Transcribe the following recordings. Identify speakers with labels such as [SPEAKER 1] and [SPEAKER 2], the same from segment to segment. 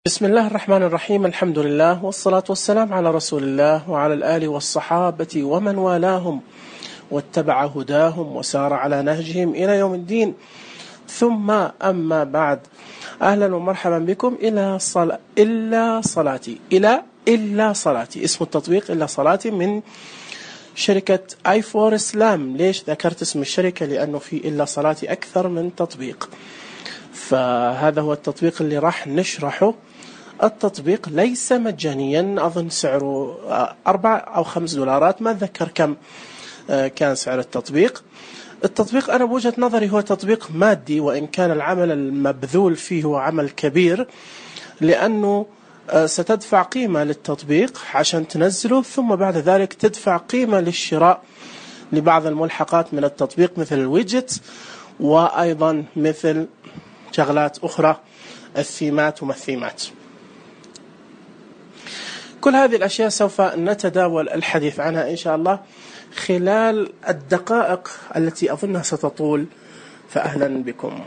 [SPEAKER 1] بسم الله الرحمن الرحيم. الحمد لله والصلاة والسلام على رسول الله وعلى الآل والصحابة ومن والاهم واتبع هداهم وسار على نهجهم إلى يوم الدين، ثم أما بعد. أهلا ومرحبا بكم إلا صلاتي اسم التطبيق إلا صلاتي من شركة i4 Islam. ليش ذكرت اسم الشركة؟ لأنه في إلا صلاتي أكثر من تطبيق، فهذا هو التطبيق اللي راح نشرحه. التطبيق ليس مجانيا، أظن سعره $4 أو $5، ما أتذكر كم كان سعر التطبيق. التطبيق أنا بوجهة نظري هو تطبيق مادي، وإن كان العمل المبذول فيه هو عمل كبير، لأنه ستدفع قيمة للتطبيق عشان تنزله، ثم بعد ذلك تدفع قيمة للشراء لبعض الملحقات من التطبيق مثل الويدجت، وأيضا مثل شغلات أخرى، الثيمات وما الثيمات. كل هذه الأشياء سوف نتداول الحديث عنها إن شاء الله خلال الدقائق التي أظنها ستطول، فأهلا بكم.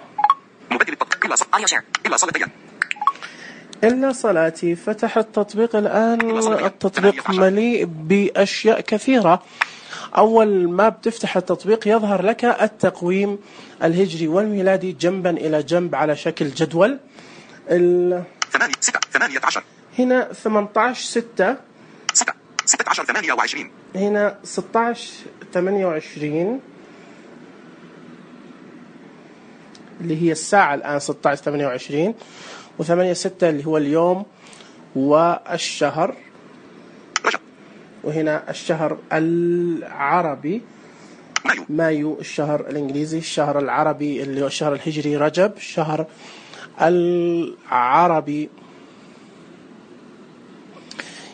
[SPEAKER 1] إلا صلاتي فتح التطبيق الآن. التطبيق مليء بأشياء كثيرة. أول ما بتفتح التطبيق يظهر لك التقويم الهجري والميلادي جنبا إلى جنب على شكل جدول. 18 هنا 18/6 16/28 هنا 16/28 اللي هي الساعة الآن 16/28، و8/6 اللي هو اليوم والشهر، وهنا الشهر العربي مايو، الشهر الإنجليزي، الشهر العربي اللي هو الشهر الهجري رجب، الشهر العربي.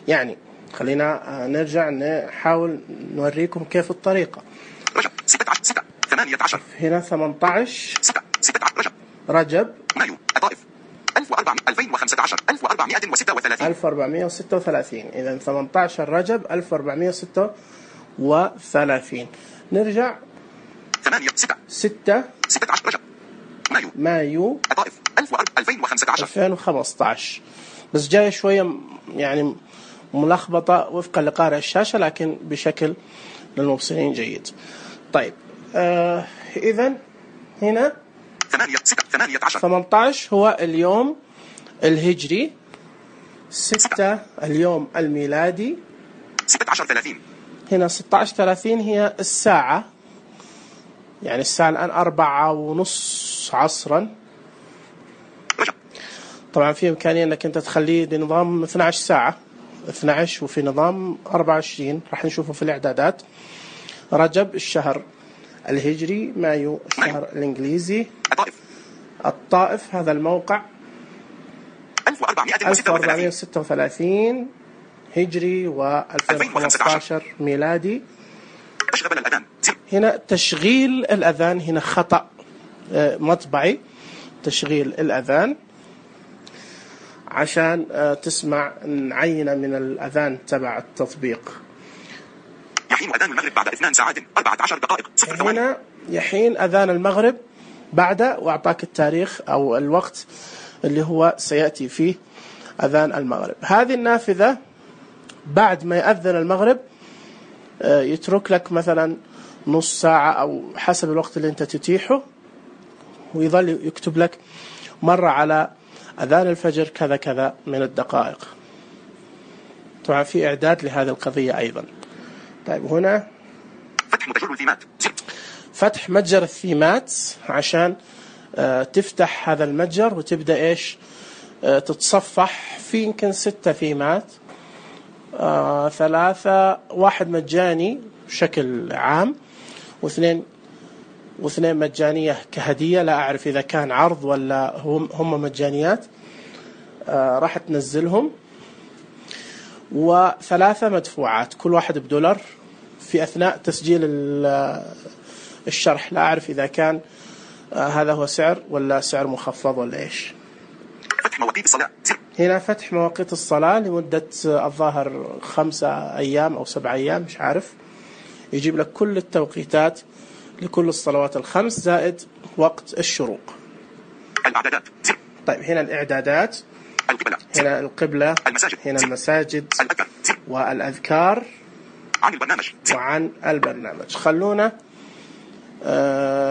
[SPEAKER 1] يعني خلينا نرجع نحاول نوريكم كيف الطريقة. رجب 16/6/18 هنا 18 رجب مايو الطائف 1436 إذا 18 رجب 1436. نرجع 6 16 رجب مايو الطائف 2015. بس جاي شوية يعني ملخبطة وفقا لقارئ الشاشة، لكن بشكل للمبصرين جيد. طيب إذن هنا 18 هو اليوم الهجري، 6 اليوم الميلادي، 16:30 هنا 16:30 هي الساعة، يعني الساعة الآن 4:30 عصرا. طبعا في إمكانية أنك أنت تخليه بنظام 12 ساعة 12، وفي نظام 24 راح نشوفه في الإعدادات. رجب الشهر الهجري، مايو الشهر الإنجليزي، الطائف هذا الموقع 1436 هجري و2015 ميلادي. هنا تشغيل الأذان، هنا خطأ مطبعي، تشغيل الأذان عشان تسمع عينة من الأذان تبع التطبيق. يحين أذان المغرب بعد 2 ساعات 14 دقائق 0 ثواني. هنا يحين أذان المغرب بعد، وأعطاك التاريخ أو الوقت اللي هو سيأتي فيه أذان المغرب. هذه النافذة بعد ما يأذن المغرب يترك لك مثلا نص ساعة أو حسب الوقت اللي أنت تتيحه، ويظل يكتب لك مرة على أذان الفجر كذا كذا من الدقائق. طبعا في إعداد لهذه القضية أيضا. طيب هنا فتح متجر الثيمات، فتح متجر الثيمات عشان تفتح هذا المتجر وتبدأ إيش تتصفح. في يمكن 6 ثيمات، 3 واحد مجاني بشكل عام، واثنين مجانية كهدية، لا أعرف إذا كان عرض ولا هم مجانيات. راح تنزلهم، و3 مدفوعات كل واحد $1 في أثناء تسجيل الشرح. لا أعرف إذا كان هذا هو سعر ولا سعر مخفض ولا إيش. فتح مواقيت الصلاة، هنا فتح مواقيت الصلاة لمدة الظاهر 5 أيام أو 7 أيام، مش عارف. يجيب لك كل التوقيتات لكل الصلوات ال5 زائد وقت الشروق. الإعدادات. طيب هنا الإعدادات، هنا القبلة، هنا المساجد والأذكار وعن البرنامج. خلونا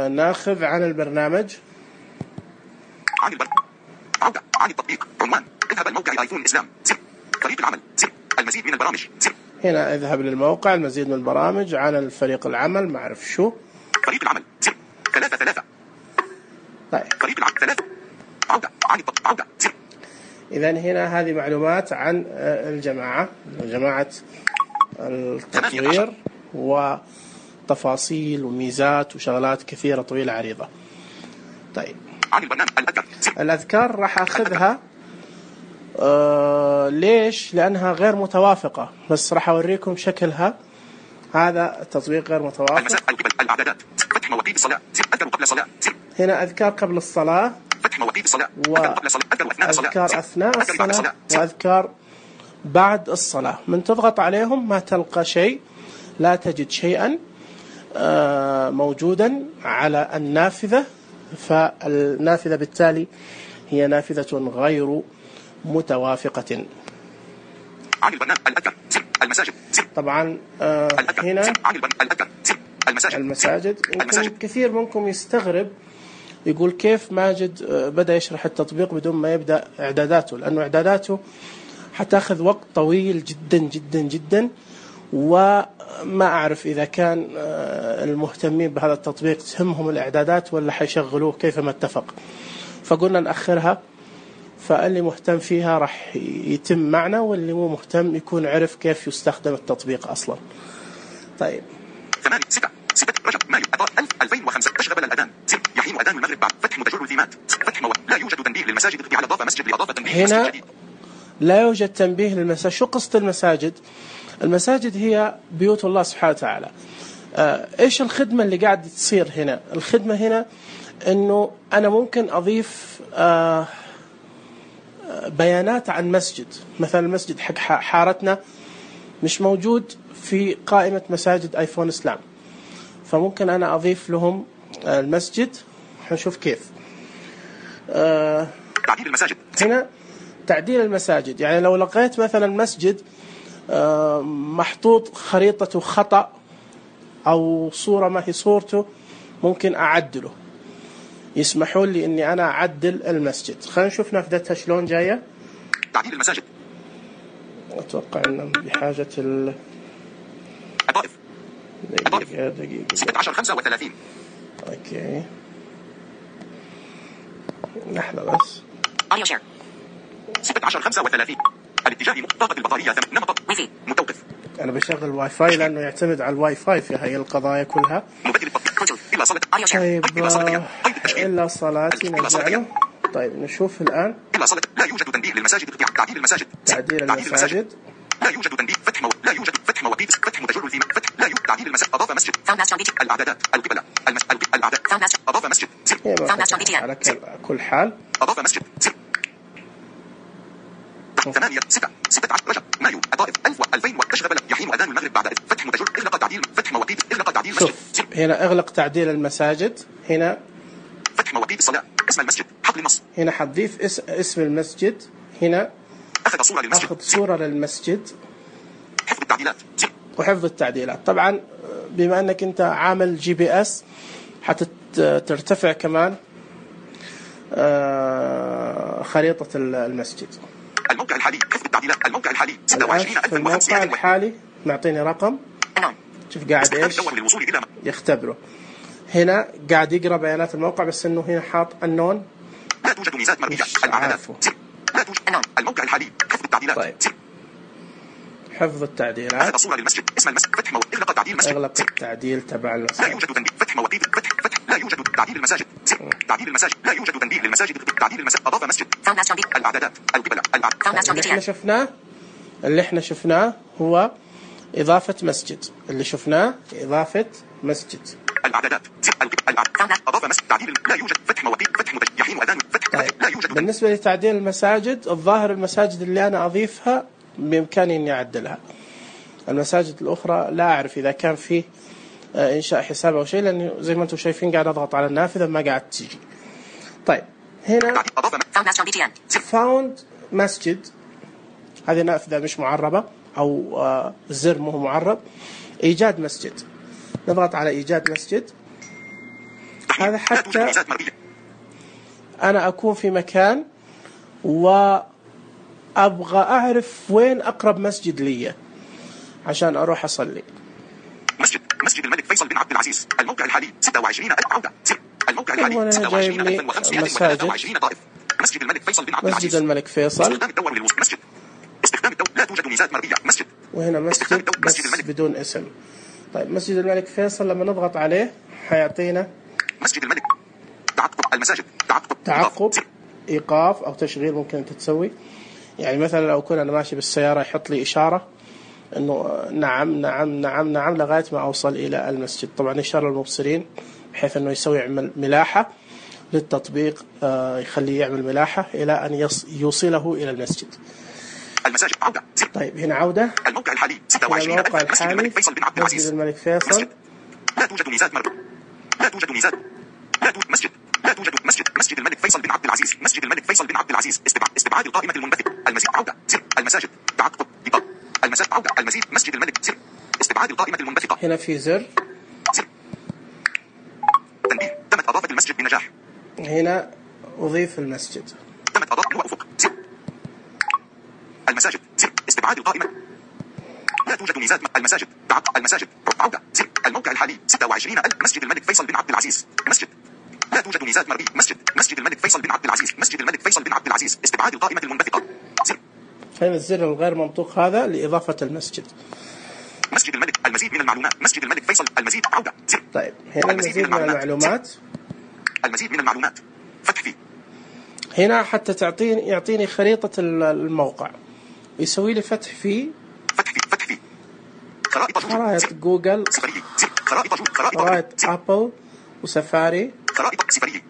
[SPEAKER 1] ناخذ عن البرنامج.
[SPEAKER 2] عن التطبيق عنوان اذهب الموقع ايفون اسلام فريق العمل المزيد من البرامج.
[SPEAKER 1] هنا اذهب للموقع المزيد من البرامج عن الفريق العمل ما اعرف شو
[SPEAKER 2] فريق العمل 3.
[SPEAKER 1] طيب
[SPEAKER 2] فريق العمل 3 عن التطبيق
[SPEAKER 1] إذا هنا هذه معلومات عن جماعة التطوير وتفاصيل وميزات وشغلات كثيرة طويلة عريضة. طيب
[SPEAKER 2] عن البرنامج
[SPEAKER 1] الأذكار راح أخذها ليش؟ لأنها غير متوافقة، بس راح أوريكم شكلها. هذا التطبيق غير متوافق.
[SPEAKER 2] الإعدادات فتح مواقيت الصلاة أذكر قبل الصلاة.
[SPEAKER 1] هنا أذكار قبل الصلاة،
[SPEAKER 2] فتح مواقيت الصلاة
[SPEAKER 1] وأذكار أثناء الصلاة وأذكار بعد الصلاة. من تضغط عليهم ما تلقى شيء، لا تجد شيئا موجودا على النافذة، فالنافذة بالتالي هي نافذة غير متوافقة.
[SPEAKER 2] عن البرنامج الأذكار المساجد
[SPEAKER 1] طبعا هنا المساجد كثير منكم يستغرب يقول كيف ماجد بدأ يشرح التطبيق بدون ما يبدأ إعداداته، لأنه إعداداته حتاخذ وقت طويل جدا جدا جدا، وما أعرف إذا كان المهتمين بهذا التطبيق تهمهم الإعدادات ولا حيشغلوه كيف ما اتفق، فقلنا نأخرها. فاللي مهتم فيها راح يتم معنا، واللي مو مهتم يكون عرف كيف يستخدم التطبيق أصلا. طيب
[SPEAKER 2] 6 رجب مايو 2005 تشغل الأذان يحين أذان المغرب بعد فتح متجر الفيمات فتح لا يوجد تنبيه للمساجد على إضافة مسجد لإضافة تنبيه.
[SPEAKER 1] هنا لا يوجد تنبيه للمساجد. شو قصة المساجد؟ المساجد هي بيوت الله سبحانه وتعالى. إيش الخدمة اللي قاعد تصير هنا؟ الخدمة هنا إنه أنا ممكن أضيف بيانات عن مسجد، مثلا المسجد حق حارتنا مش موجود في قائمة مساجد آيفون إسلام، فممكن أنا أضيف لهم المسجد. حنشوف كيف.
[SPEAKER 2] تعديل المساجد.
[SPEAKER 1] هنا تعديل المساجد، يعني لو لقيت مثلا مسجد محطوط خريطته خطأ أو صورة ما هي صورته، ممكن أعدله. يسمحوا لي إني أنا أعدل المسجد. خلينا نشوف نافذتها شلون جاية.
[SPEAKER 2] تعديل المساجد.
[SPEAKER 1] أتوقع إنه بحاجة
[SPEAKER 2] الطائف.
[SPEAKER 1] دقيقة
[SPEAKER 2] 16:35.
[SPEAKER 1] أوكي لحظة بس.
[SPEAKER 2] أريو شير 16:35. الاتجاه طاقة البطارية نمط ويفي متوقف.
[SPEAKER 1] أنا بشغل واي فاي لأنه يعتمد على الواي فاي في هاي القضايا كلها.
[SPEAKER 2] إلا صلاة
[SPEAKER 1] طيب إلا صلاتي نرجع. طيب نشوف الآن.
[SPEAKER 2] إلا صلاة لا يوجد تنبيه للمساجد. تعديل المساجد.
[SPEAKER 1] تعديل المساجد.
[SPEAKER 2] لا يوجد تنبيه لا يوجد فتح مواقيت فتح متجر الفيمات فتح لا يوجد تعديل المساجد. أضاف مسجد الإعدادات القبلة الأعداد أضاف مسجد
[SPEAKER 1] على كل حال.
[SPEAKER 2] أضاف مسجد 16 رجب مايو الطائف 2000 تشغل يحين أذان المغرب بعد فتح متجر إغلاق تعديل فتح مواقيت إغلاق تعديل مسجد.
[SPEAKER 1] هنا اغلق تعديل المساجد. هنا
[SPEAKER 2] فتح مواقيت الصلاة اسم المسجد حقل النص.
[SPEAKER 1] هنا حتضيف اسم المسجد. هنا
[SPEAKER 2] أخذ صورة للمسجد.
[SPEAKER 1] أخذ صورة للمسجد.
[SPEAKER 2] حفظ التعديلات
[SPEAKER 1] وحفظ التعديلات. طبعا بما أنك أنت عامل GPS حترتفع كمان خريطة المسجد.
[SPEAKER 2] الموقع الحالي حفظ التعديلات. الموقع الحالي 26,000.
[SPEAKER 1] الموقع الحالي معطيني رقم. شوف قاعد إيش يختبره. هنا قاعد يقرأ بيانات الموقع، بس إنه هنا حاط النون.
[SPEAKER 2] لا توجد ميزات مرئية. الإعدادات لا توجد الموقع الحالي حفظ التعديلات.
[SPEAKER 1] طيب. حفظ التعديلات.
[SPEAKER 2] صورة للمسجد اسم المسجد فتح إغلاق تعديل المسجد.
[SPEAKER 1] اغلق التعديل تبع المسجد.
[SPEAKER 2] لا يوجد تنبيه فتح مواقيت فتح لا يوجد تعديل المساجد. تعديل المساجد لا يوجد تنبيه للمساجد. تعديل المساجد أضاف مسجد الإعدادات القبلة
[SPEAKER 1] اللي احنا شفناه هو إضافة مسجد. اللي شفناه إضافة مسجد.
[SPEAKER 2] الإعدادات أضاف مسجد. تعديل لا يوجد فتح مواقيت فتح يحين أذان فتح لا يوجد.
[SPEAKER 1] بالنسبة لتعديل المساجد، الظاهر المساجد اللي أنا أضيفها بإمكاني إني أعدلها. المساجد الأخرى لا أعرف إذا كان فيه إنشاء حساب أو شيء، لأنه زي ما أنتم شايفين قاعد أضغط على النافذة ما قاعد تيجي. طيب هنا found مسجد، هذه نافذة مش معربة أو زر مو معرب، إيجاد مسجد، نضغط على إيجاد مسجد. هذا حتى أنا أكون في مكان وأبغى أعرف وين أقرب مسجد لي عشان أروح أصلي.
[SPEAKER 2] مسجد الملك فيصل بن عبد العزيز، الموقع الحالي 26,000 عودة. الموقع الحالي 26,523 طائف. مسجد الملك فيصل بن عبد العزيز.
[SPEAKER 1] مسجد الملك فيصل.
[SPEAKER 2] استخدام الدور للوصول. مسجد. استخدام الدور. لا توجد ميزات مرئية. مسجد.
[SPEAKER 1] وهنا مسجد بس بدون اسم. طيب مسجد الملك فيصل لما نضغط عليه حيعطينا
[SPEAKER 2] مسجد الملك. تعقب المساجد.
[SPEAKER 1] تعقب إيقاف أو تشغيل ممكن أنت تسوي. يعني مثلا لو كنا أنا ماشي بالسيارة يحط لي إشارة إنه نعم نعم نعم نعم لغاية ما أوصل إلى المسجد. طبعا إشارة للمبصرين بحيث إنه يسوي يعمل ملاحة للتطبيق، يخليه يعمل ملاحة إلى أن يوصله إلى المسجد.
[SPEAKER 2] المساجد عودة.
[SPEAKER 1] طيب هنا عودة.
[SPEAKER 2] الموقع الحالي 26,000. مسجد الملك فيصل بن عبد العزيز.
[SPEAKER 1] مسجد الملك فيصل.
[SPEAKER 2] لا توجد ميزات مرئية. لا توجد ميزات. لا توجد مسجد. لا توجد مسجد الملك فيصل بن عبد العزيز. مسجد الملك فيصل بن عبد العزيز. استبعاد القائمة المنبثقة. المزيد عودة. زر. المساجد. تعقب. إيقاف. المساجد عودة. المزيد. مسجد الملك. زر. استبعاد القائمة المنبثقة.
[SPEAKER 1] هنا في زر.
[SPEAKER 2] زر. تنبيه. تمت إضافة المسجد بنجاح.
[SPEAKER 1] هنا أضيف المسجد.
[SPEAKER 2] تمت إضافة أفق. زر. المساجد. زر. استبعاد القائمة. لا توجد ميزات. المساجد. تعقب. المساجد. عودة. زر. الموقع الحالي 26,000. مسجد الملك فيصل بن عبد العزيز. مسجد. لا توجد ميزات مرئية. مسجد الملك فيصل بن عبد العزيز. مسجد الملك فيصل بن عبد العزيز. استبعاد القائمة المنبثقة. زر.
[SPEAKER 1] هنا الزر الغير منطوق هذا لإضافة المسجد.
[SPEAKER 2] مسجد الملك. المزيد من المعلومات. مسجد الملك فيصل. المزيد عودة. زر.
[SPEAKER 1] طيب هنا المزيد من المعلومات.
[SPEAKER 2] المزيد من المعلومات. فتح فيه.
[SPEAKER 1] هنا حتى يعطيني خريطة الموقع ويسوي لي فتح فيه.
[SPEAKER 2] فتح فيه.
[SPEAKER 1] خرائط جوجل. خرائط أبل وسفاري.
[SPEAKER 2] خرائط سفرية.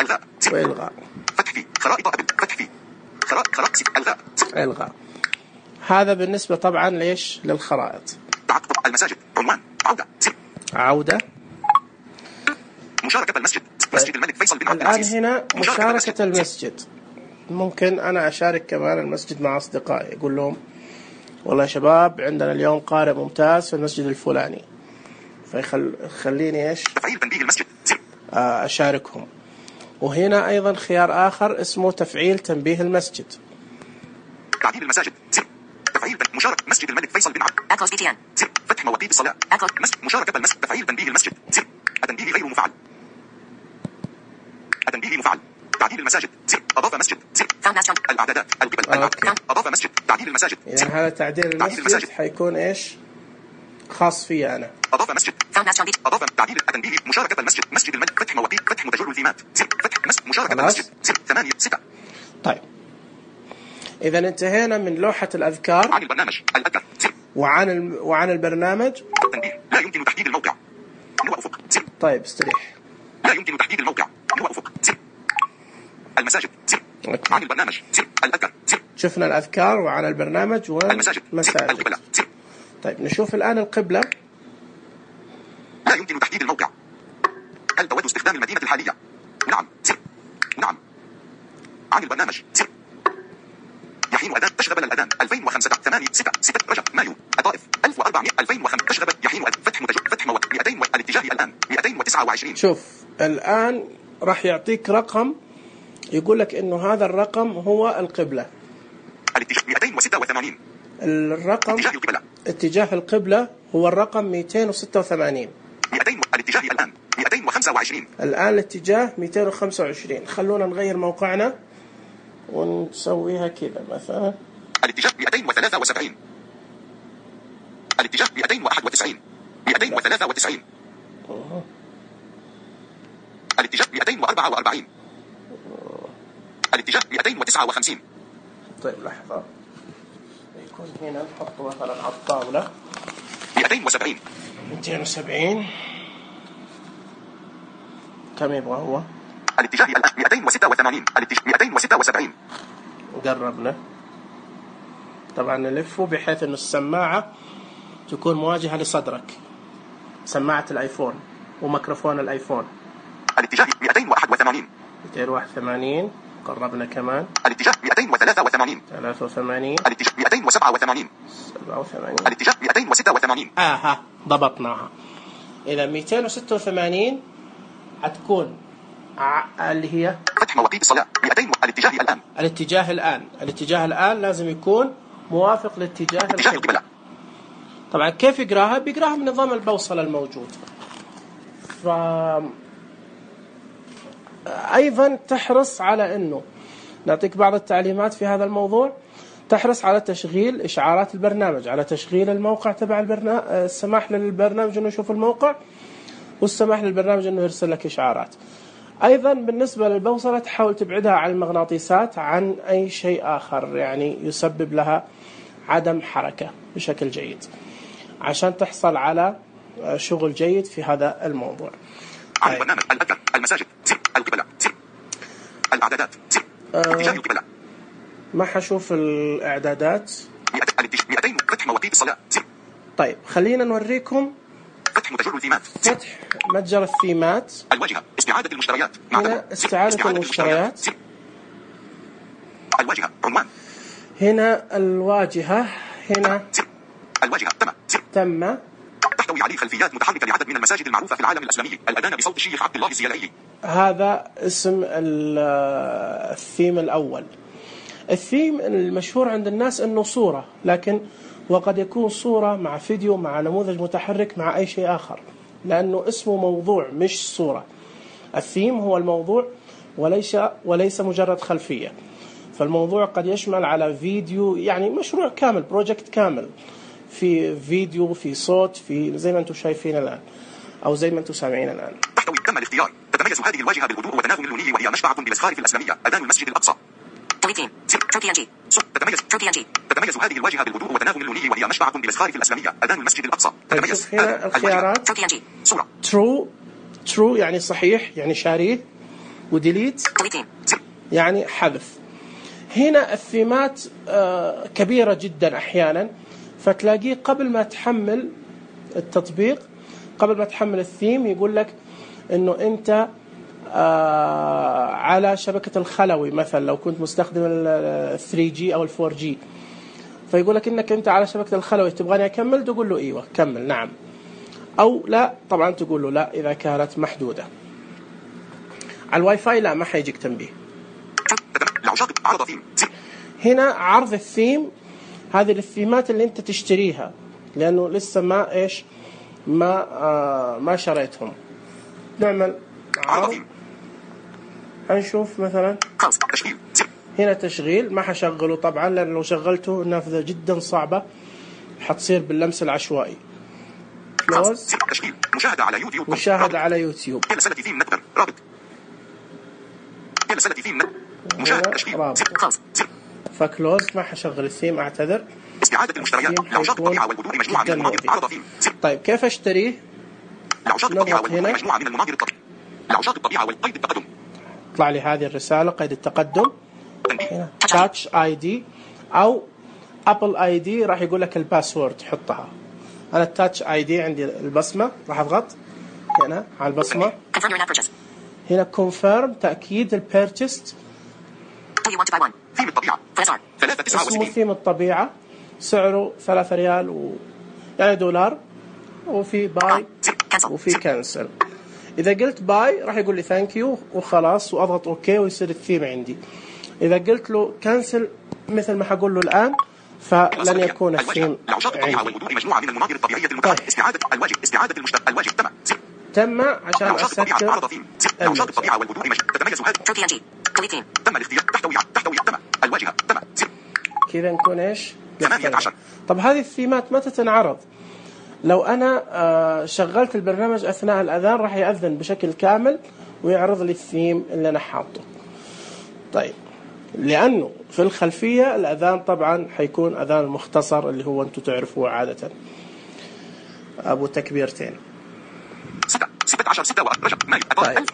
[SPEAKER 2] الغاء.
[SPEAKER 1] وإلغاء.
[SPEAKER 2] فتح فيه. خرائط أبل. فتح فيه. خرائط الغاء.
[SPEAKER 1] إلغاء. هذا بالنسبة طبعا ليش للخرائط.
[SPEAKER 2] تعقب. المساجد. عنوان. عودة.
[SPEAKER 1] عودة.
[SPEAKER 2] مشاركة المسجد. مسجد الملك فيصل بن عبد العزيز.
[SPEAKER 1] الآن هنا مشاركة المسجد. ممكن أنا أشارك كمان المسجد مع أصدقائي، أقول لهم والله يا شباب عندنا اليوم قارئ ممتاز في المسجد الفلاني، فيخليني إيش
[SPEAKER 2] تفعيل تنبيه المسجد.
[SPEAKER 1] أشاركهم. وهنا أيضا خيار آخر اسمه تفعيل تنبيه المسجد.
[SPEAKER 2] تعديل المساجد. تفعيل مشاركة مسجد الملك فيصل بن عبد العزيز. فتح مواقيت الصلاة. مشاركة المسجد. تفعيل تنبيه المسجد. التنبيه غير مفعل. التنبيه مفعل. تعديل المساجد. أضاف مسجد. الأعدادات. القبل. أضاف مسجد. تعديل المساجد.
[SPEAKER 1] إذن هذا تعديل المسجد حيكون إيش خاص فيه أنا.
[SPEAKER 2] أضاف مسجد. أضاف تعديل التنبيه. مشاركة المسجد. مسجد الملك. فتح مواقيت. فتح متجر الفيمات. فتح مشاركة المسجد. 8-6.
[SPEAKER 1] طيب إذا انتهينا من لوحة الأذكار.
[SPEAKER 2] عن البرنامج. الأذكار.
[SPEAKER 1] وعن البرنامج.
[SPEAKER 2] تنبيه. لا يمكن تحديد الموقع. نوع أفق.
[SPEAKER 1] طيب استريح.
[SPEAKER 2] لا يمكن تحديد الموقع. نوع أفق. المساجد. عن البرنامج. الأذكار.
[SPEAKER 1] شفنا الأذكار وعن البرنامج
[SPEAKER 2] والمساجد.
[SPEAKER 1] القبلة. طيب نشوف الآن القبلة.
[SPEAKER 2] لا يمكن تحديد الموقع. هل تود استخدام المدينة الحالية؟ نعم. نعم. عن البرنامج. يحين أذان تشغب الأذان 2005 8-6 رجب مايو الطائف 1400 2005 تشغب يحين فتح متجر فتح مواد 200 الاتجاه الآن 229.
[SPEAKER 1] شوف الآن راح يعطيك رقم يقول لك إنه هذا الرقم هو القبلة.
[SPEAKER 2] الاتجاه 286.
[SPEAKER 1] الرقم اتجاه القبلة هو الرقم 286.
[SPEAKER 2] 200 الاتجاه الآن 225.
[SPEAKER 1] الآن الاتجاه 225. خلونا نغير موقعنا ونسويها كذا مثلا.
[SPEAKER 2] الاتجاه 273. الاتجاه 291. 293. الاتجاه 244. الاتجاه 259.
[SPEAKER 1] طيب لحظة يكون هنا نحطه مثلا على الطاولة
[SPEAKER 2] 270.
[SPEAKER 1] 270 كم يبغى هو؟
[SPEAKER 2] الاتجاه 286. الاتجاه 276.
[SPEAKER 1] قربنا. طبعا نلفه بحيث انه السماعة تكون مواجهة لصدرك، سماعة الايفون وميكروفون الايفون.
[SPEAKER 2] الاتجاه 281.
[SPEAKER 1] 281. قربنا كمان.
[SPEAKER 2] الاتجاه 283.
[SPEAKER 1] 83.
[SPEAKER 2] الاتجاه 287.
[SPEAKER 1] 87.
[SPEAKER 2] الاتجاه 286.
[SPEAKER 1] ضبطناها. إذا 286 حتكون اللي هي
[SPEAKER 2] فتح مواقيت الصلاة. 200
[SPEAKER 1] الاتجاه الآن لازم يكون موافق لاتجاه القبلة. طبعا كيف يقراها؟ بيقراها من نظام البوصلة الموجود. أيضا تحرص على أنه نعطيك بعض التعليمات في هذا الموضوع. تحرص على تشغيل إشعارات البرنامج، على تشغيل الموقع تبع البرنامج، السماح للبرنامج أنه يشوف الموقع، والسماح للبرنامج أنه يرسل لك إشعارات. أيضا بالنسبة للبوصلة تحاول تبعدها عن المغناطيسات، عن أي شيء آخر يعني يسبب لها عدم حركة بشكل جيد، عشان تحصل على شغل جيد في هذا الموضوع.
[SPEAKER 2] عن البرنامج، الأذكار، المساجد، القبلة، الإعدادات، اتجاه القبلة.
[SPEAKER 1] ما حشوف الإعدادات.
[SPEAKER 2] 200 فتح مواقيت الصلاة.
[SPEAKER 1] طيب خلينا نوريكم
[SPEAKER 2] فتح متجر الثيمات.
[SPEAKER 1] فتح متجر الثيمات.
[SPEAKER 2] الواجهة، استعادة المشتريات.
[SPEAKER 1] هنا استعادة المشتريات.
[SPEAKER 2] الواجهة، عنوان.
[SPEAKER 1] هنا الواجهة. هنا
[SPEAKER 2] الواجهة
[SPEAKER 1] تم.
[SPEAKER 2] تحتوي عليه خلفيات متحركة لعدد من المساجد المعروفة في العالم الإسلامي. الأذان بصوت الشيخ عبد الله الزيلعي.
[SPEAKER 1] هذا اسم الثيم الأول. الثيم المشهور عند الناس أنه صورة، لكن وقد يكون صورة مع فيديو مع نموذج متحرك مع أي شيء آخر، لأنه اسمه موضوع مش صورة. الثيم هو الموضوع وليس مجرد خلفية. فالموضوع قد يشمل على فيديو، يعني مشروع كامل، بروجكت كامل، في فيديو، في صوت، في زي ما أنتم شايفين الآن أو زي ما أنتم سامعين الآن.
[SPEAKER 2] تحتوي تم الاختيار. تتميز هذه الواجهة بالهدوء وتناغم اللوني، وهي مشبعة بالأزخارف الإسلامية. أذان المسجد الأقصى. تتميز هذه الواجهة بالهدوء وتناغم اللوني، وهي مشبعة بالأزخارف الإسلامية. أذان المسجد الأقصى.
[SPEAKER 1] تتميز هنا الخيارات
[SPEAKER 2] صورة.
[SPEAKER 1] true يعني صحيح، يعني شاريه، وديليت يعني حذف. هنا الثيمات كبيرة جدا أحيانا، فتلاقيه قبل ما تحمل التطبيق، قبل ما تحمل الثيم، يقول لك إنه أنت على شبكة الخلوي مثلا، لو كنت مستخدم ال 3G أو ال 4G، فيقول لك إنك أنت على شبكة الخلوي، تبغاني أكمل؟ تقول له إيوه كمل نعم، أو لا طبعا تقول له لا إذا كانت محدودة. على الواي فاي لا، ما حيجيك تنبيه. هنا عرض الثيم، هذه الثيمات اللي أنت تشتريها، لأنه لسه ما شريتهم. نعمل عرض. هنشوف مثلا هنا تشغيل، ما حشغله طبعا، لأن لو شغلته نافذة جدا صعبة حتصير باللمس العشوائي. كلوز.
[SPEAKER 2] مشاهدة على يوتيوب.
[SPEAKER 1] مشاهدة على يوتيوب.
[SPEAKER 2] رابط.
[SPEAKER 1] فكلوز. ما حشغل الثيم، اعتذر.
[SPEAKER 2] استعادة المشتريات. لعشاق الطبيعة والبذور مجموعة من المناظر. عرض ثيم.
[SPEAKER 1] طيب كيف اشتريه؟
[SPEAKER 2] لعشاق الطبيعة والبذور مجموعة من المناظر الطبيعية. لعشاق الطبيعة والقيد التقدم.
[SPEAKER 1] طلع لي هذه الرسالة، قيد التقدم. تاتش اي دي او ابل اي دي، راح يقول لك الباسورد حطها. انا التاتش اي دي عندي البصمة، راح اضغط هنا على البصمة. هنا كونفيرم، تأكيد البيرتشست.
[SPEAKER 2] ثيم الطبيعة.
[SPEAKER 1] اسمه ثيم الطبيعة، سعره 3 ريال يعني $، وفي باي وفي كانسل. إذا قلت باي راح يقول لي ثانك يو وخلاص، وأضغط أوكي ويصير الثيم عندي. إذا قلت له كانسل مثل ما حقول له الآن، فلن يكون الثيم عندي.
[SPEAKER 2] مجموعة من المناظر الطبيعية المتعددة. استعادة الواجب. استعادة المشترك. الواجب
[SPEAKER 1] تم عشان أسكر
[SPEAKER 2] لعشاق الطبيعة والبذور تتميز هذه. تم الاختيار. تحتوي تم الواجهة.
[SPEAKER 1] كذا نكون إيش؟
[SPEAKER 2] 18.
[SPEAKER 1] طب هذه الثيمات متى تنعرض؟ لو أنا شغلت البرنامج أثناء الأذان راح يأذن بشكل كامل ويعرض لي الثيم اللي أنا حاطه. طيب لأنه في الخلفية الأذان طبعا حيكون أذان مختصر، اللي هو أنتم تعرفوه عادة أبو تكبيرتين.
[SPEAKER 2] 16 رجب مايو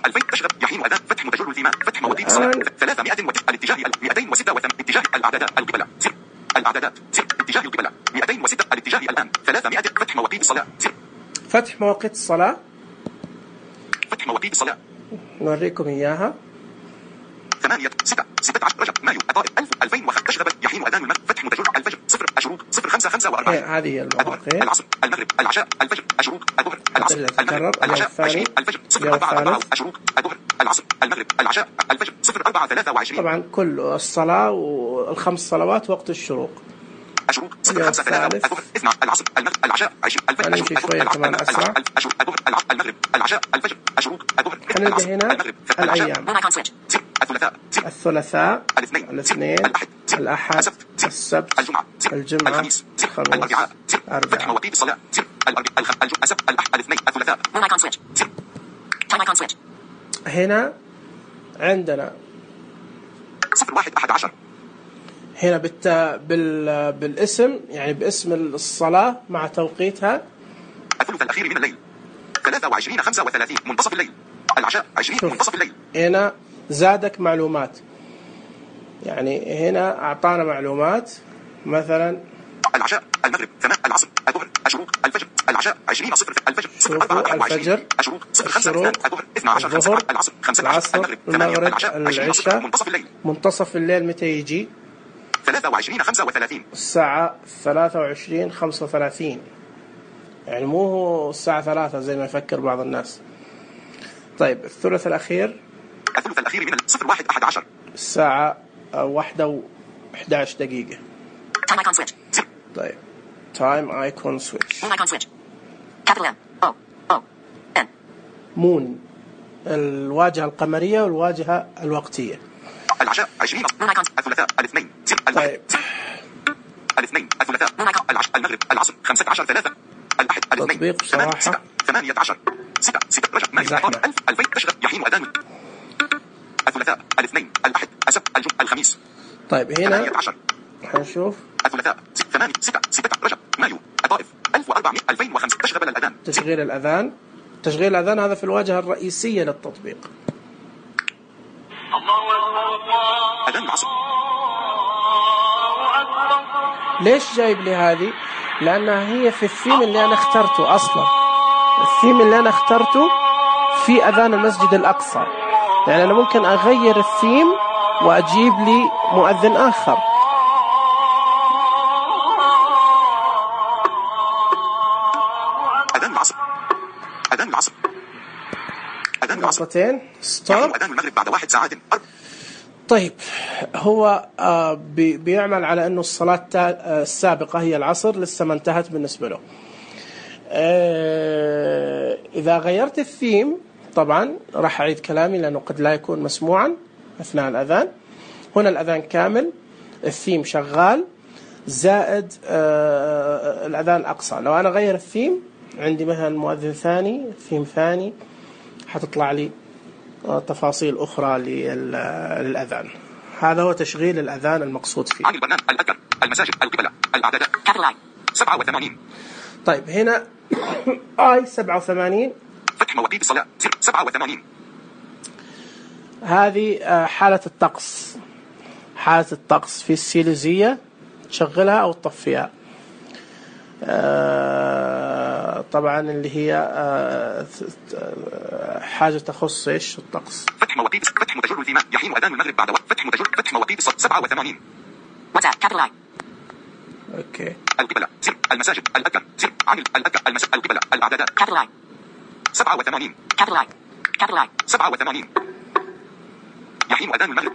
[SPEAKER 2] 2000 تشغل يحين أذان. فتح متجر الثيمات. فتح مواقيت الصلاة. 300 الاتجاه 286 اتجاه الأعدادات القبلة. الأعدادات اتجاه القبلة 206 الاتجاه الآن 300 فتح مواقيت الصلاة.
[SPEAKER 1] فتح مواقيت الصلاة.
[SPEAKER 2] فتح مواقيت الصلاة
[SPEAKER 1] نوريكم إياها.
[SPEAKER 2] 8 6 16 رجب مايو الطائف 2005 تشغب يحين أذان المغرب فتح متجر الفجر 0 الشروق 0:45
[SPEAKER 1] هذه هي المواقيت.
[SPEAKER 2] العصر المغرب العشاء الفجر الشروق الظهر العصر المغرب العشاء 20 الفجر 0:4 الشروق الظهر العصر المغرب العشاء الفجر 0:4:23.
[SPEAKER 1] طبعا كل الصلاة والخمس صلوات وقت الشروق.
[SPEAKER 2] الشروق 0:5:3 الظهر 2 العصر المغرب العشاء 20 الفجر الشروق
[SPEAKER 1] كمان أسرع.
[SPEAKER 2] الظهر المغرب العشاء الفجر الشروق الظهر
[SPEAKER 1] حنلقى هنا الأيام: الثلاثاء الاثنين الأحد السبت الجمعة الخميس الأربعاء.
[SPEAKER 2] مواقيت الصلاة السبت الأحد الاثنين الثلاثاء.
[SPEAKER 1] هنا عندنا
[SPEAKER 2] 01:11
[SPEAKER 1] هنا بالاسم، يعني باسم الصلاة مع توقيتها.
[SPEAKER 2] الثلث الأخير من الليل 23:35 منتصف الليل. العشاء 20 منتصف الليل.
[SPEAKER 1] هنا زادك معلومات، يعني هنا أعطانا معلومات مثلا
[SPEAKER 2] العشاء المغرب 8 العصر الظهر الشروق الفجر العشاء 20 0 الفجر
[SPEAKER 1] الفجر
[SPEAKER 2] الشروق 0:5 الظهر 12 5 العصر 15
[SPEAKER 1] المغرب
[SPEAKER 2] العشاء
[SPEAKER 1] العشاء
[SPEAKER 2] منتصف الليل.
[SPEAKER 1] منتصف الليل متى يجي؟
[SPEAKER 2] 23:35
[SPEAKER 1] الساعة 23:35، يعني مو هو الساعة 3 زي ما يفكر بعض الناس. طيب الثلث الأخير
[SPEAKER 2] من 01:11
[SPEAKER 1] الساعة 1:11 دقيقة. طيب تايم ايكون سويتش. مون الواجهة القمرية والواجهة الوقتية.
[SPEAKER 2] العشاء 20 الثلاثاء الاثنين.
[SPEAKER 1] طيب
[SPEAKER 2] الاثنين الثلاثاء المغرب العصر 15 3 الأحد الاثنين
[SPEAKER 1] تطبيق بصراحة
[SPEAKER 2] 18 6 رجب مايو 2000 تشغل يحين أذان الثلاثاء الاثنين الأحد السبت الجمعة الخميس.
[SPEAKER 1] طيب هنا حنشوف
[SPEAKER 2] الثلاثاء 8 6 رجب مايو الطائف 2005 تشغل الأذان.
[SPEAKER 1] تشغيل الأذان هذا في الواجهة الرئيسية للتطبيق.
[SPEAKER 2] أذان العصر.
[SPEAKER 1] ليش جايب لي هذه؟ لأنها هي في الثيم اللي أنا اخترته أصلا. الثيم اللي أنا اخترته في أذان المسجد الأقصى، يعني أنا ممكن أغير الثيم وأجيب لي مؤذن آخر.
[SPEAKER 2] أذان العصر
[SPEAKER 1] نقطتين ستوب.
[SPEAKER 2] أذان المغرب بعد 1 ساعة.
[SPEAKER 1] طيب هو بيعمل على أنه الصلاة السابقة هي العصر لسه ما انتهت بالنسبة له. إذا غيرت الثيم طبعا راح أعيد كلامي لأنه قد لا يكون مسموعا أثناء الأذان. هنا الأذان كامل، الثيم شغال، زائد الأذان الأقصى. لو أنا غير الثيم عندي مثلا مؤذن ثاني، ثيم ثاني، حتطلع لي تفاصيل أخرى للأذان. هذا هو تشغيل الأذان المقصود فيه.
[SPEAKER 2] عن البرنامج الأذكر المساجد القبلة الأعدادات 87.
[SPEAKER 1] طيب هنا آي 87
[SPEAKER 2] فتح مواقيت الصلاة 87.
[SPEAKER 1] هذه حالة الطقس. حالة الطقس في السيليزية تشغلها أو تطفيها. طبعا اللي هي حاجة تخص إيش الطقس.
[SPEAKER 2] فتح متجر الثيماء يحين أذان المغرب بعد وقت فتح مواقيت الصلاة 87.
[SPEAKER 1] أوكي.
[SPEAKER 2] القبلة المساجد الأذكر عن الأذكر المساجد القبلة الأعدادات 87. 87 يحين أذان المغرب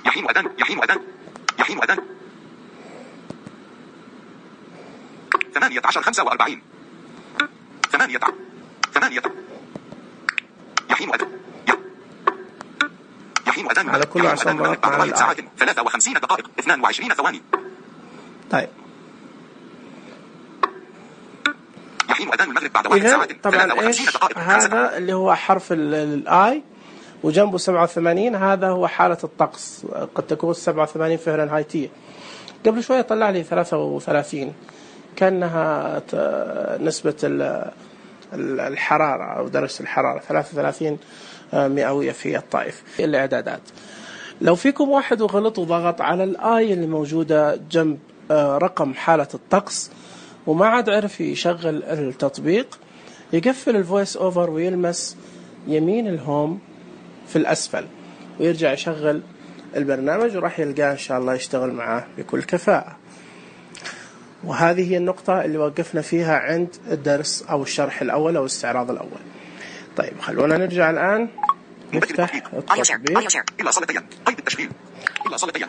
[SPEAKER 2] يحين أذان 18 45 8 يحين أذان
[SPEAKER 1] على كل عشان
[SPEAKER 2] بعد 1 ساعة 53 دقائق 22 ثواني.
[SPEAKER 1] طيب
[SPEAKER 2] يحين أذان المغرب بعد 1 ساعة 53 دقائق.
[SPEAKER 1] هذا اللي هو حرف الآي وجنبه 87. هذا هو حالة الطقس، قد تكون 87 فهرنهايتية. قبل شوية طلع لي 33 كأنها نسبة الحرارة أو درجة الحرارة 33 مئوية في الطائف. الإعدادات لو فيكم واحد وغلط وضغط على الآي اللي موجودة جنب رقم حالة الطقس وما عاد عرف يشغل التطبيق، يقفل الفويس أوفر ويلمس يمين الهوم في الأسفل ويرجع يشغل البرنامج وراح يلقاه إن شاء الله يشتغل معاه بكل كفاءة. وهذه هي النقطة اللي وقفنا فيها عند الدرس أو الشرح الأول أو الاستعراض الأول. طيب خلونا نرجع الآن نفتح التطبيق.